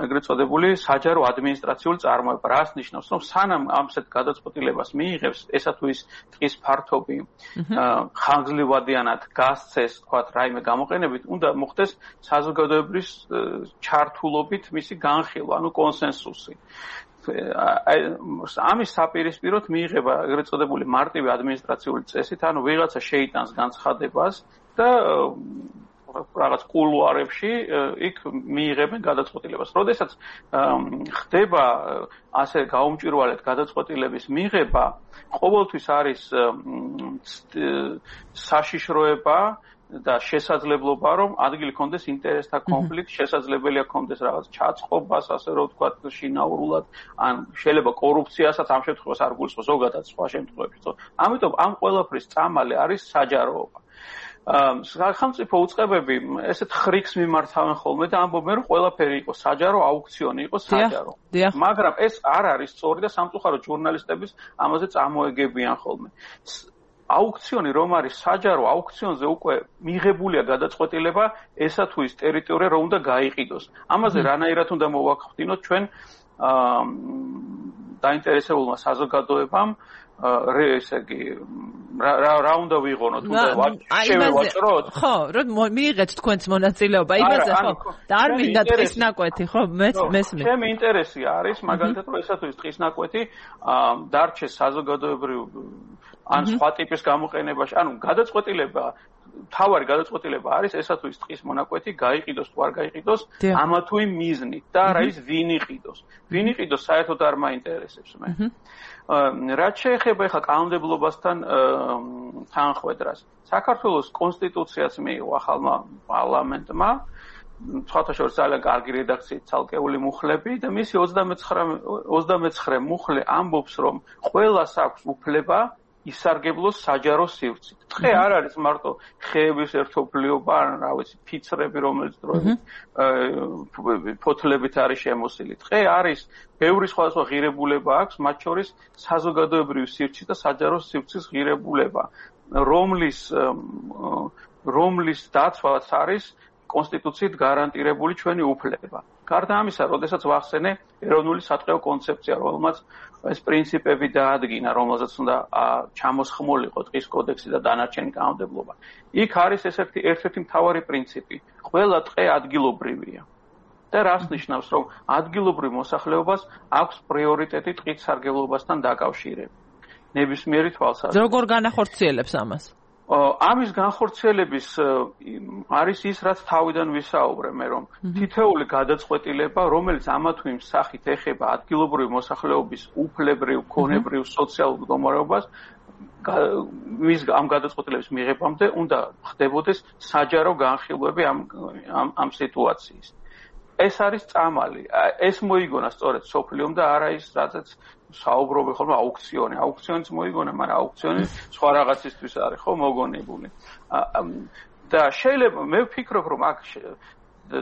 Speaker 4: ეგრეთ წოდებული საჯარო ადმინისტრაციული წარმოება. რას ნიშნავს, რომ სანამ ამსეთ გადაწყვეტილებას მიიღებს, ესა თუ ის ტყის ფართობი ხანგრძლივადიანად გასცეს, თქვათ, რაიმე გამოყენებით, უნდა მოხდეს საზოგადოების ჩართულობით მისი განხილვა, ანუ კონსენსუსი. ამის საპირისპიროდ მიიღება ეგრეთ წოდებული მარტივი ადმინისტრაციული წესით, ანუ ვიღაცა შეიტანს განცხადებას და რაღაც კულუარებში იქ მიიღებენ გადაწყვეტილებას. როდესაც ხდება ასე გაუმჭვირვალედ გადაწყვეტილების მიღება, ყოველთვის არის საშიშროება და შესაძლებლობა, რომ ადგილი კონდეს ინტერესთა კონფლიქტი, შესაძლებელია კონდეს რაღაც ჩაწყობას, ასე რომ ვთქვათ, შინაურულად, ან შეიძლება კორუფციასაც ამ შემთხვევაში არ გულისხმობს, ზოგადად სხვა შემთხვევებში. ამიტომ ამ ყველაფრის წამალი არის საჯაროობა. სახელმწიფო უწყებები ესეთ ხრიქს მიმართავენ ხოლმე და ამბობენ, რომ ყველაფერი იყო საჯარო, აუქციონი იყო საჯარო. მაგრამ ეს არ არის სწორი და სამწუხაროდ ჟურნალისტების ამაზე წამოეგებიან ხოლმე. აუქციონი რომ არის საჯარო აუქციონზე უკვე მიღებულია გადაწყვეტილება ესა თუ ის ტერიტორია რომ უნდა გაიყიდოს. ამაზე რანაირად უნდა მოვახდინოთ ჩვენ დაინტერესებულმა საზოგადოებამ ესე იგი რა უნდა ვიღონოთ უნდა შევევაჭროთ
Speaker 1: ხო რომ მიიღეთ თქვენს მონაწილეობა იმაზე ხო და არ მინდა ტყის ნაკვეთი ხო მესმის
Speaker 4: ჩემი ინტერესი არის მაგალითად რომ ესა თუ ის ტყის ნაკვეთი დარჩეს საზოგადოებრივ ან სხვა ტიპის გამოყენებაში ანუ გადაწყვეტილება თავარი გადაწყვეტილება არის ესა თუ ის ტყის მონაკვეთი გაიყიდოს თუ არ გაიყიდოს ამა თუ იმ მიზნით და არა ის ვინ იყიდოს საერთოდ არ მაინტერესებს მე რაც შეეხება ახლა კანონმდებლობასთან თანხმედრას საქართველოს კონსტიტუციაც მიიღო ახალმა პარლამენტმა სხვათა შორის ძალიან კარგი რედაქციით ცალკეული მუხლები და მისი 29 მუხლე ამბობს რომ ყველას აქვს უფლება ისარგებლოს საჯარო სივრცით. დღე არ არის მარტო ხეების ერთობლიობა, ან რა ვიცი, ფიცრები, რომელიც დროებით ფოთლებით არის შემოსილი. დღე არის ბევრი სხვადასხვა ღირებულება აქვს, მათ შორის საზოგადოებრივი სივრცის და საჯარო სივრცის ღირებულება, რომლის დაცვაც არის კონსტიტუციით გარანტირებული ჩვენი უფლება. გარდა ამისა, როდესაც ვახსენე ეროვნული სატყეო კონცეფცია, რომელმაც ეს პრინციპები დაადგინა, რომელზეც უნდა ჩამოსხმულიყო ტყის კოდექსი და დანარჩენი კანონმდებლობა. იქ არის ერთ-ერთი მთავარი პრინციპი. ყველა ტყე ადგილობრივია. და რას ნიშნავს, რომ ადგილობრივ მოსახლეობას აქვს პრიორიტეტი ტყით სარგებლობასთან დაკავშირებით. ნებისმიერი თვალსაზრისით.
Speaker 1: როგორ განახორციელებს ამას?
Speaker 4: ამის განხორციელების არის ის, რაც თავიდან ვისაუბრე მე, რომ თითოეული გადაწყვეტილება, რომელიც ამა თუ იმ სახით ეხება ადგილობრივი მოსახლეობის უფლებრივ, ქონებრივ, სოციალურ მდგომარეობას, ამ გადაწყვეტილების მიღებამდე უნდა ხდებოდეს საჯარო განხილვები ამ სიტუაციის. ეს არის წამალი. ეს მოიგონა სწორედ სოფლიომ და არა ის, რაცაც საუბრობენ ხოლმე აუქციონი. აუქციონიც მოიგონა, მაგრამ აუქციონი სხვა რაღაცისთვის არის, ხო, მოგონებული. და შეიძლება მე ვფიქრობ, რომ აქ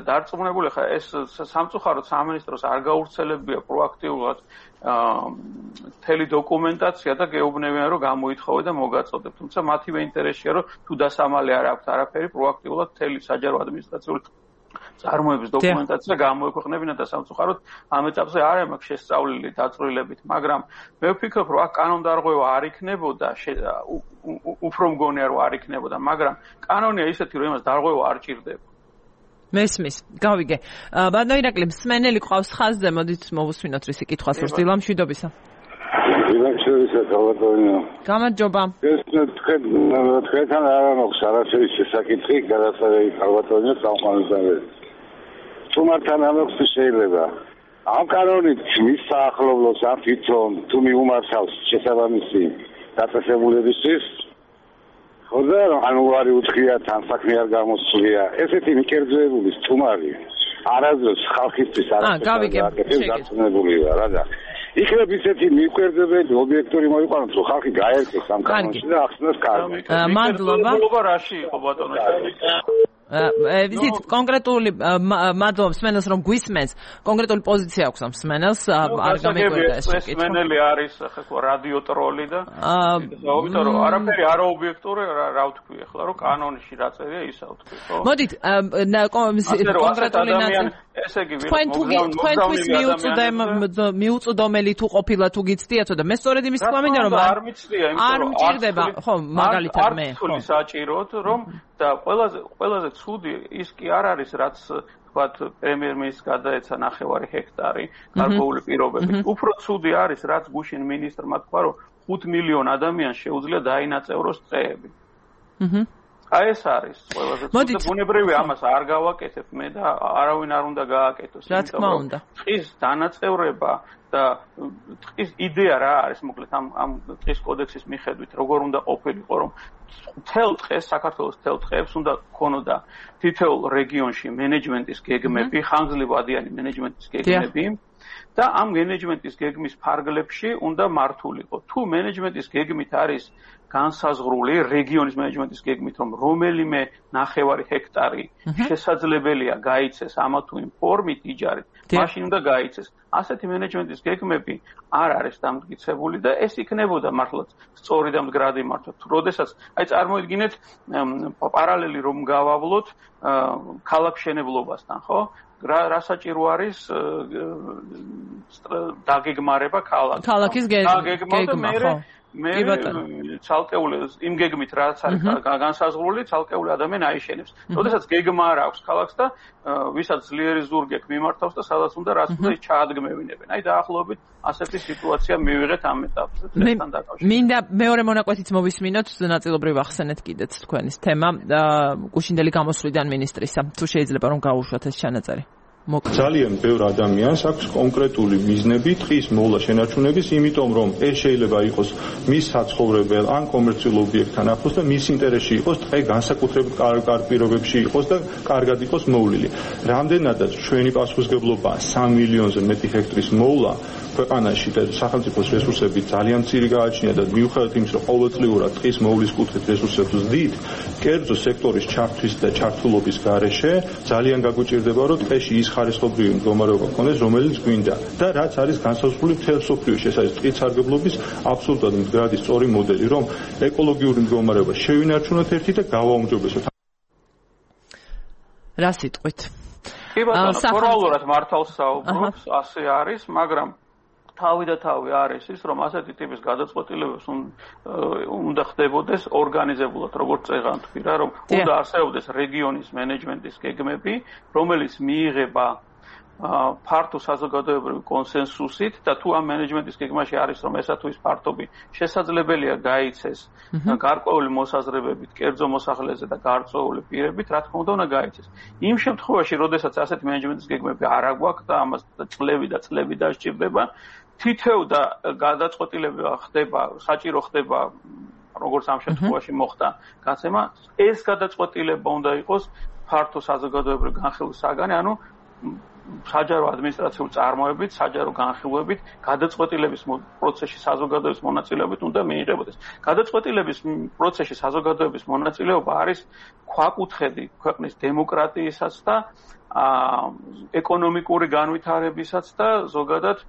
Speaker 4: დარწმუნებული ხარ, ეს სამწუხაროდ სამინისტროს არ გაურცელებია პროაქტიულად მთელი დოკუმენტაცია და გეუბნებიან, რომ გამოითხოვე და მოგაწოდებ. თუმცა მათივე ინტერესია, რომ თუ დასამალე არ აქვს არაფერი, პროაქტიულად მთელი საჯარო ადმინისტრაციული წარმოების დოკუმენტაცია გამოექვეყნებინა და სამწუხაროდ ამ ეტაპზე არ მაქვს შესწავლილი დაწვრილებით, მაგრამ მე ვფიქრობ, რომ აქ კანონდარღვევა არ იქნებოდა, უფრო მგონია, რომ არ იქნებოდა, მაგრამ კანონია ისეთი, რომ იმას დარღვევა არ ჭირდება.
Speaker 1: მესმის, გავიგე. ბატონო ირაკლი, მსმენელი ყავს ხაზზე, მოდით მოვუსმინოთ რისი კითხვას ვსწრდილა მშვიდობისა. გამარჯობა.
Speaker 6: ეს თქვენთან არ მაქვს არაფერი შესაკითხი, გადასაღები ალბათონია სამყაროსავე. თუმართან ამოხს შეიძლება. ამ კანონით მის საახლობლოს ამ თვითონ თუ მიუმართავს შესაბამისი დაწესებულებისთვის ხოდა ანუ არის უცხია თან საქმე არ გამოსვლია. ესეთი მიკერძოებული სტუმარი არასდროს ხალხისთვის არ გაწნებული რა და იქნებ ისეთი მიკერძოებელი ობიექტური მოიყვანოს რომ ხალხი გაერკვეს ამ კანონში და ახსნას კარგი.
Speaker 1: მადლობა.
Speaker 4: რაში იყო ბატონო?
Speaker 1: ვიზით კონკრეტული მადლობა მსმენელს რომ გვისმენს კონკრეტული პოზიცია აქვს ამ მსმენელს არ გამეკვირდა ეს კითხვა.
Speaker 4: მსმენელი არის ახლა რადიო ტროლი და იმიტომ რომ არაფერი არ ობიექტური რა ვთქვი ახლა რომ კანონში რა წერია ისა ვთქვი ხო?
Speaker 1: მოდით კონკრეტული ნაწილი ესე იგი თქვენთვის მიუწვდომელი თუ ყოფილა თუ გიცდიათო და მე სწორედ იმის თქვა მინდა რომ
Speaker 4: არ მიცდია
Speaker 1: არ მჭირდება ხო მაგალითად მე
Speaker 4: ხო საჭიროთ რომ და ყველაზე ცუდი ის კი არ არის რაც ვთქვათ პრემიერ-მინისტრს გადაეცა 9 ჰექტარი გარკვეული პირობებით. უფრო ცუდი არის რაც გუშინ მინისტრმა თქვა რომ 5 მილიონ ადამიანს შეუძლია დაინაწევროს ტყეები. აი ეს არის ყველაზე ცუდი და ბუნებრივია ამას არ გავაკეთებ მე და არავინ არ უნდა გააკეთოს.
Speaker 1: რა თქმა უნდა.
Speaker 4: ტყის დანაწევრება და ტყის იდეა რა არის მოკლედ ამ ტყის კოდექსის მიხედვით როგორ უნდა ყოფილიყო რომ მთელ ტყეს საქართველოს მთელ ტყეებს უნდა ქონოდა თითოეულ რეგიონში მენეჯმენტის გეგმები, ხანგრძლივი ადიანი მენეჯმენტის გეგმები და ამ მენეჯმენტის გეგმის ფარგლებში უნდა მართულიყო. თუ მენეჯმენტის გეგმით არის განსაზღვრული რეგიონის მენეჯმენტის გეგმით, რომ რომელიმე 9 ჰექტარი შესაძლებელია გაიცეს ამა თუ იმ ფორმით იჯარით, მაშინ უნდა გაიცეს. ასეთი მენეჯმენტის გეგმები არ არის დამტკიცებული და ეს იქნებოდა მართლაც სწორი და მდგრადი მართვა. როდესაც აი წარმოიდგინეთ პარალელი რომ გავავლოთ ქალაქშენებლობასთან, ხო? რა საჭირო არის დაგეგმარება
Speaker 1: ქალაქის გეგმა, ხო?
Speaker 4: მე ცალკეული იმ გეგმით რაც არის განსაზღვრული, ცალკეული ადამიანი აიშენებს. როდესაც გეგმა არ აქვს ქალაქს და ვისაც ძლიერი ზურგი აქვს მიმართავს და სადაც უნდა რაც უნდა ჩაადგმევინებენ. აი დაახლოებით ასეთი სიტუაცია მივიღეთ ამ ეტაპზე წესთან დაკავშირებით.
Speaker 1: მინდა მეორე მონაკვეთიც მოვისმინოთ, ნაწილობრივ ახსენეთ კიდეც თქვენის თემა გუშინდელი გამოსვლიდან მინისტრისა. თუ შეიძლება რომ გაუშვათ ეს ჩანაწერი.
Speaker 5: ძალიან ბევრ ადამიანს აქვს კონკრეტული მიზნები ტყის მოვლა შენარჩუნების, იმიტომ რომ ეს შეიძლება იყოს მის საცხოვრებელ ან კომერციულ ობიექტთან ახლოს და მის ინტერესში იყოს ტყე განსაკუთრებით კარგ პირობებში იყოს და კარგად იყოს მოვლილი. რამდენადაც ჩვენი პასუხისმგებლობაა 3 მილიონზე მეტი ჰექტრის მოვლა ქვეყანაში და სახელმწიფოს რესურსები ძალიან მცირე გააჩნია და მიუხედავად იმისა, რომ ყოველწლიურად ტყის მოვლის კუთხით რესურსებს ვზდით, კერძო სექტორის ჩართვის და ჩართულობის გარეშე ძალიან გაგვიჭირდება, რომ ტყეში ის ხარისხობრივი მდგომარეობა გქონდეს, რომელიც გვინდა და რაც არის განსაზღვრული მთელ მსოფლიოში. ეს არის ტყის სარგებლობის აბსოლუტურად მდგრადი სწორი მოდელი, რომ ეკოლოგიური მდგომარეობა შევინარჩუნოთ ერთი და გავაუმჯობესოთ.
Speaker 1: რა სიტყვით?
Speaker 4: კი ბატონო, ფორმალურად მართალს საუბრობს, ასე არის, მაგრამ თავი და თავი არის ის, რომ ასეთი ტიპის გადაწყვეტილებებს უნდა ხდებოდეს ორგანიზებულად, როგორც წეღან თქვი რა, რომ უნდა არსებობდეს რეგიონის მენეჯმენტის გეგმები, რომელიც მიიღება ფართო საზოგადოებრივი კონსენსუსით და თუ ამ მენეჯმენტის გეგმაში არის, რომ ესა თუ ის ფართობი შესაძლებელია გაიცეს გარკვეული მოსაზრებებით, კერძო მოსახლეზე და გარკვეული პირებით, რა თქმა უნდა, უნდა გაიცეს. იმ შემთხვევაში, როდესაც ასეთი მენეჯმენტის გეგმები არ აგვაქვს და ამას წლები დასჭირდება, თითოეულ და გადაწყვეტილება ხდება, საჭირო ხდება, როგორც ამ შემთხვევაში მოხდა გაცემა, ეს გადაწყვეტილება უნდა იყოს ფართო საზოგადოებრივი განხილვის საგანი, ანუ საჯარო ადმინისტრაციული წარმოებით, საჯარო განხილვებით, გადაწყვეტილების პროცესში საზოგადოების მონაწილეობით უნდა მიიღებოდეს. გადაწყვეტილების პროცესში საზოგადოების მონაწილეობა არის ქვაკუთხედი ქვეყნის დემოკრატიისას და ეკონომიკური განვითარებისაც და ზოგადად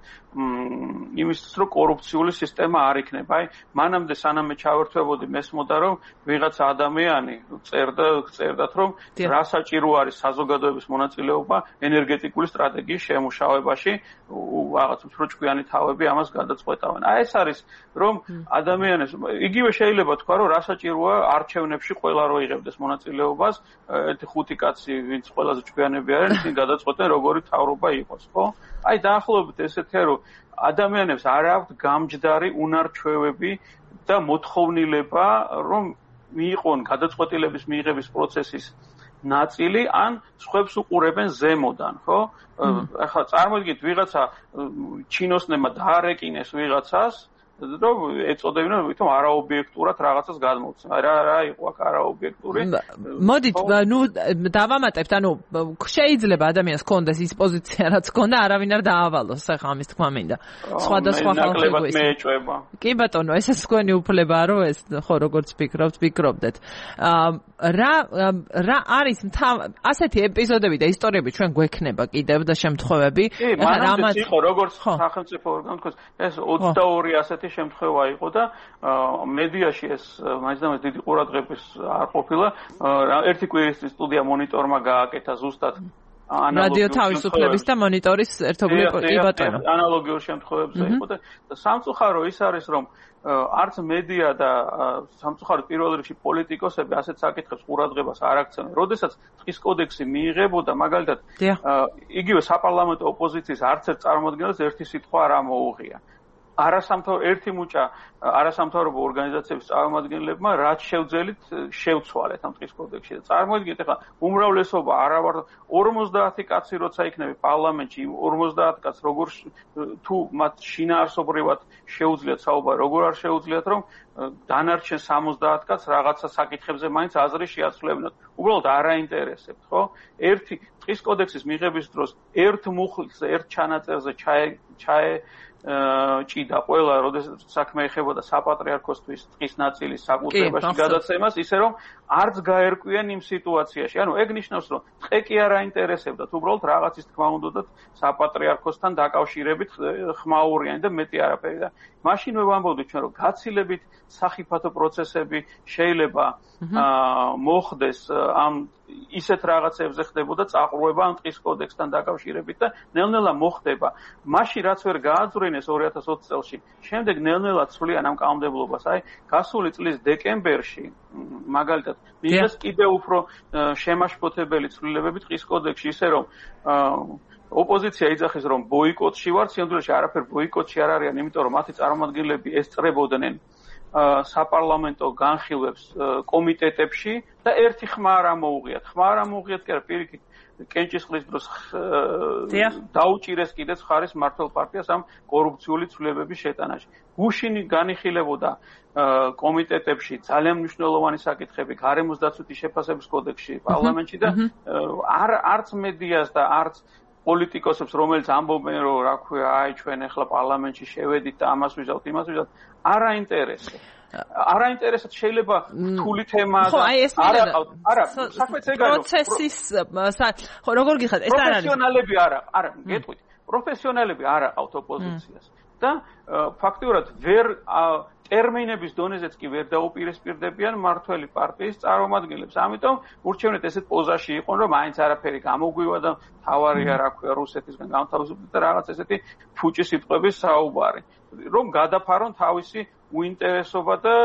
Speaker 4: იმისთვის, რომ კორუფციული სისტემა არ იქნება. აი, მანამდე სანამ ჩავერთვებოდი, მესმოდა, რომ ვიღაცა ადამიანი წერდათ, რომ რა საჭირო არის საზოგადოების მონაწილეობა ენერგეტიკული სტრატეგიის შემუშავებაში, რაღაც მსრუჭკვიანი თავები ამას გადაწყვეტავენ. აი, ეს არის, რომ ადამიანებს იგივე შეიძლება თქვა, რომ რა საჭიროა არჩევნებში ყველა რო იღებდეს მონაწილეობას, ერთი 5 კაცი, ვინც ყველაზე ჭკვიანები არიან, ისინი გადაწყვეტენ როგორი თავრობა იყოს, ხო? აი დაახლოებით ესეთია, რომ ადამიანებს არ აქვთ გამჯდარი უნარჩვევები და მოთხოვნილება, რომ მიიღონ გადაწყვეტილების მიღების პროცესის ნაწილი ან სხვებს უყურებენ ზემოდან, ხო? ახლა წარმოიდგინეთ, ვიღაცა ჩინოსნებმა დაარეკინეს ვიღაცას, რომ ეწოდებინა ვითომ არაობიექტურად რაღაცას გადმოვცემ. აი რა იყო აქ არაობიექტური?
Speaker 1: მოდით, ნუ დავამატებთ, ანუ შეიძლება ადამიანს კონდეს ის პოზიცია, რაც კონდა, არავინ არ დაავალოს, ახლა ამის თქმა მინდა. სხვადასხვა ხალხი
Speaker 4: მეეჭვება.
Speaker 1: კი ბატონო, ესეც თქვენი უფლებაა, რომ ეს ხო როგორც ფიქრობდეთ. რა არის ასეთი ეპიზოდები და ისტორიები ჩვენ გვექნება კიდევ და შემთხვევები?
Speaker 4: რამაც იყო როგორც სახელმწიფო ორგანო თქვა, ეს 22 ასეთი შემთხვევა იყო და მედიაში ეს მაინც დიდი ყურადღების არ ყოფილა. ერთი კვირის სტუდია მონიტორმა გააკეთა ზუსტად
Speaker 1: რადიო თავისუფლების და მონიტორის ერთობლივ კი ბატონო.
Speaker 4: ანალოგიურ შემთხვევებზე იყო და სამწუხარო ის არის, რომ არც მედია და სამწუხაროდ პირველ რიგში პოლიტიკოსები ასეთ საკითხებს ყურადღებას არ აქცევენ. როდესაც ტყის კოდექსი მიიღებოდა, მაგალითად, იგივე საპარლამენტო ოპოზიციის არც ერთ წარმოადგენელს ერთი სიტყვა არ ამოუღია. ერთი მუჭა არასამთავრობო ორგანიზაციების წარმომადგენლებმა რაც შევძელით შევცვალეთ ამ ტყის კოდექსში. წარმოიდგინეთ, ახლა უმრავლესობა არა ვარ 50 კაცი როცა იქნება პარლამენტში, 50 კაცს როგორ თუ მათ შინაარსობრივად შეუძლიათ საუბარი, როგორ არ შეუძლიათ, რომ დანარჩენ 70 კაცს რაღაცა საკითხებზე მაინც აზრი შეაცვლებინოთ. უბრალოდ არ აინტერესებთ, ხო? ერთი ტყის კოდექსის მიღების დროს ერთ მუხლზე, ერთ ჩანაწერზე ჭიდა ყველა, როდესაც საქმე ეხებოდა საპატრიარქოსთვის ტყის ნაწილის საკუთრებაში გადაცემას, ისე რომ არც გაერკვიან იმ სიტუაციაში. ანუ ეგ ნიშნავს, რომ ტყე კი არ აინტერესებდათ, უბრალოდ რაღაცის თქმა უნდათ საპატრიარქოსთან დაკავშირებით ხმაურიანი და მეტი არაფერი. და მაშინ მე ვამბობდი ჩვენ, რომ გაცილებით სახიფათო პროცესები შეიძლება მოხდეს ამ ისეთ რაღაცებზე ხდებოდა წაყრუება ამ ტყის კოდექსთან დაკავშირებით და ნელ-ნელა მოხდება. მაშინ რაც ვერ გააძვრინეს 2020 წელს, შემდეგ ნელ-ნელა ცვლიან ამ კანონმდებლობას. აი, გასული წლის დეკემბერში მაგალითად მიიღეს კიდევ უფრო შემაშფოთებელი ცვლილებები ტყის კოდექსში, ისე რომ ოპოზიცია იძახის, რომ ბოიკოტში ვარ, სინამდვილეში არაფერ ბოიკოტში არ არიან, იმიტომ რომ მათი წარმომადგენლები ესწრებოდნენ საპარლამენტო განხილვებს კომიტეტებში და ერთი ხმა არ ამოუღიათ. ხმა არ ამოუღიათ კი არა, პირიქით კენჭისყრის დროს დაუჭირეს კიდეც ხარის მართლ პარტიას ამ კორუფციული ცვლილებების შეტანაში. გუშინი განიხილებოდა კომიტეტებში ძალიან მნიშვნელოვანი საკითხები გარემოს დაცვითი შეფასების კოდექსში პარლამენტში და არც მედიას და არც პოლიტიკოსებს, რომელიც ამბობენ, რომ რა ქვია, აი ჩვენ ახლა პარლამენტში შევედით და ამას ვიზავთ, იმას ვიზავთ, არ აინტერესებს. არ აინტერესებს შეიძლება რთული თემა და არა, საქმეც ეგ არის. პროცესის
Speaker 1: ხო, როგორ გიხართ? ეს არ არის.
Speaker 4: პროფესიონალები არა, გეტყვით. პროფესიონალები არ აყავთ ოპოზიციას და ფაქტიურად ვერ ტერმინების დონეზეც კი ვერ დაუპირისპირდებიან მართველი პარტიის წარმომადგენლებს. ამიტომ ურჩევნეთ ესეთ პოზაში იყვნენ, რომ მაინც არაფერი გამოგვივა და თავარია, რა ქვია, რუსეთისგან გამთავისუფლდა და რაღაც ესეთი ფუჭი სიტყვების საუბარი. რომ გადაფარონ თავისი უინტერესობა და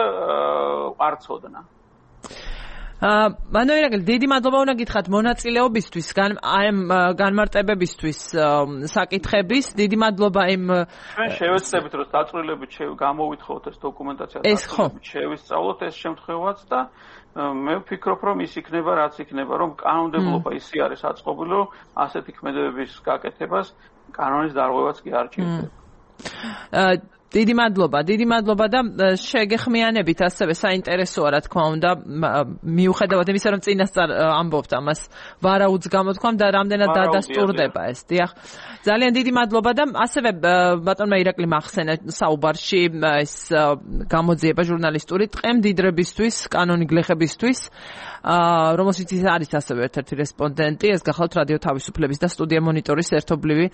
Speaker 4: არცოდნა.
Speaker 1: მანოერაგელი, დიდი მადლობა უნდა გითხრათ მონაწილეობისთვის, განმარტებებისთვის საკითხების. დიდი მადლობა იმ
Speaker 4: ჩვენ შევეცდებით, რომ დაწვრილებით გამოვითხოვოთ ეს დოკუმენტაცია, დაწვრილებით შევისწავლოთ ეს შემთხვევაც და მე ვფიქრობ, რომ ის იქნება, რაც იქნება, რომ კანონმდებლობა ისე არის აწყობილი, რომ ასეთი ქმედებების გაკეთებას კანონის დარღვევაც კი არ ჭირდება.
Speaker 1: დიდი მადლობა და შეგეხმიანებით ასევე საინტერესოა რა თქმა უნდა მიუხედავად იმისა რომ წინასწარ ამბობთ ამას ვარაუდს გამოთქვამ და რამდენად დადასტურდება ეს დიახ ძალიან დიდი მადლობა და ასევე ბატონმა ირაკლი მახსენა საუბარში ეს გამოძიება ჟურნალისტური ტყემდიდრებისთვის კანონიგლეხებისთვის რომელშიც არის ასევე ერთ-ერთი რესპონდენტი ეს გახალთ რადიო თავისუფლების და სტუდია მონიტორის ერთობლივი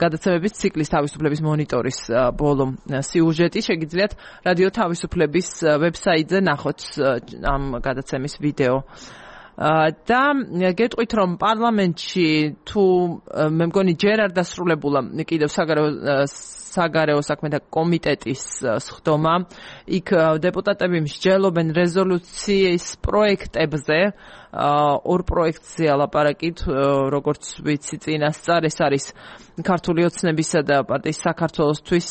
Speaker 1: გადაცემების ციკლის თავისუფლების მონიტორის ბოლო სიუჟეტი შეგიძლიათ რადიო თავისუფლების ვებსაიტზე ნახოთ ამ გადაცემის ვიდეო და გეტყვით რომ პარლამენტში თუ მე მგონი ჯერ არ დასრულებულა კიდევ საგარეო საქმეთა კომიტეტის სხდომა იქ დეპუტატები მსჯელობენ რეზოლუციის პროექტებზე ორ პროექტზე ალაპარაკით როგორც ვიცი წინასწარ ეს არის ქართული ოცნებისა და პარტიის საქართველოსთვის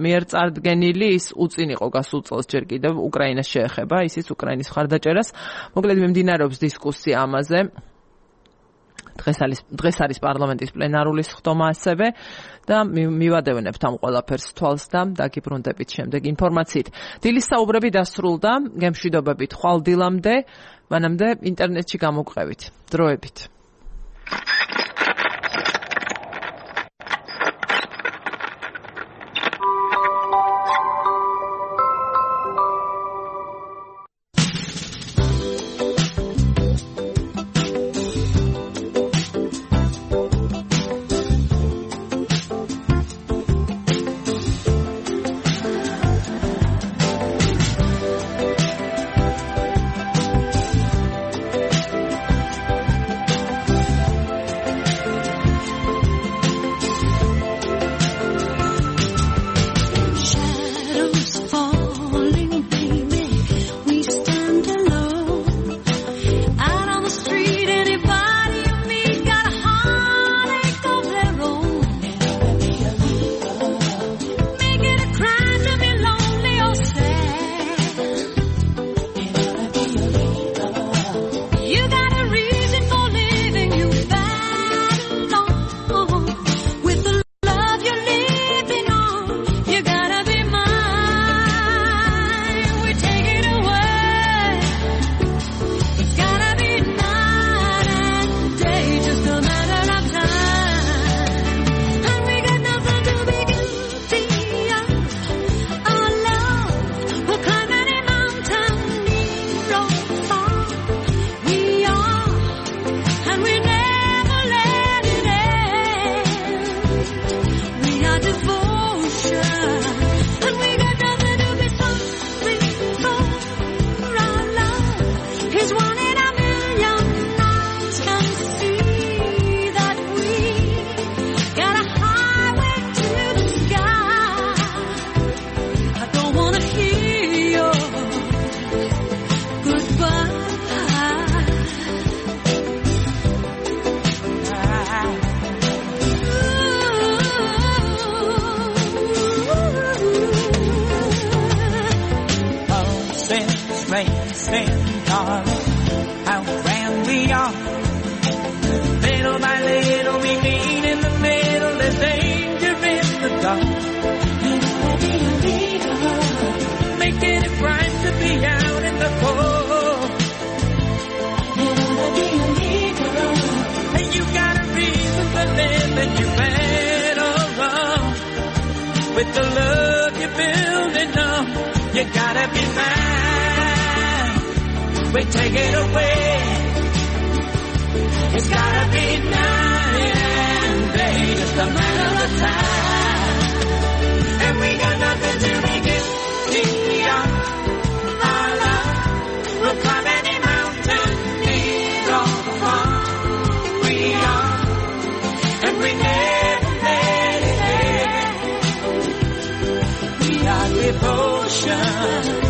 Speaker 1: მიერ წარდგენილი ის უწინ იყო გასულ წელს ჯერ კიდევ უკრაინას შეეხება ისიც უკრაინის მხარდაჭერას მოკლედ მიმდინარეობს დისკუსია ამაზე დღეს არის პარლამენტის პლენარული სხდომა ასევე და მივადევნებთ ამ ყველაფერს თვალს და დაგიბრუნდებით შემდეგ ინფორმაციით. დილის საუბრები დასრულდა, გემშვიდობებით ხვალ დილამდე, მანამდე ინტერნეტში გამოგყევით. დროებით.
Speaker 7: with the love you're building up. You gotta be mine. We take it away. It's gotta be night and day, just a matter of time. And we got nothing to make it beyond our love. We'll climb any mountain, need all the fun we are. And we never let it end. We are devotion.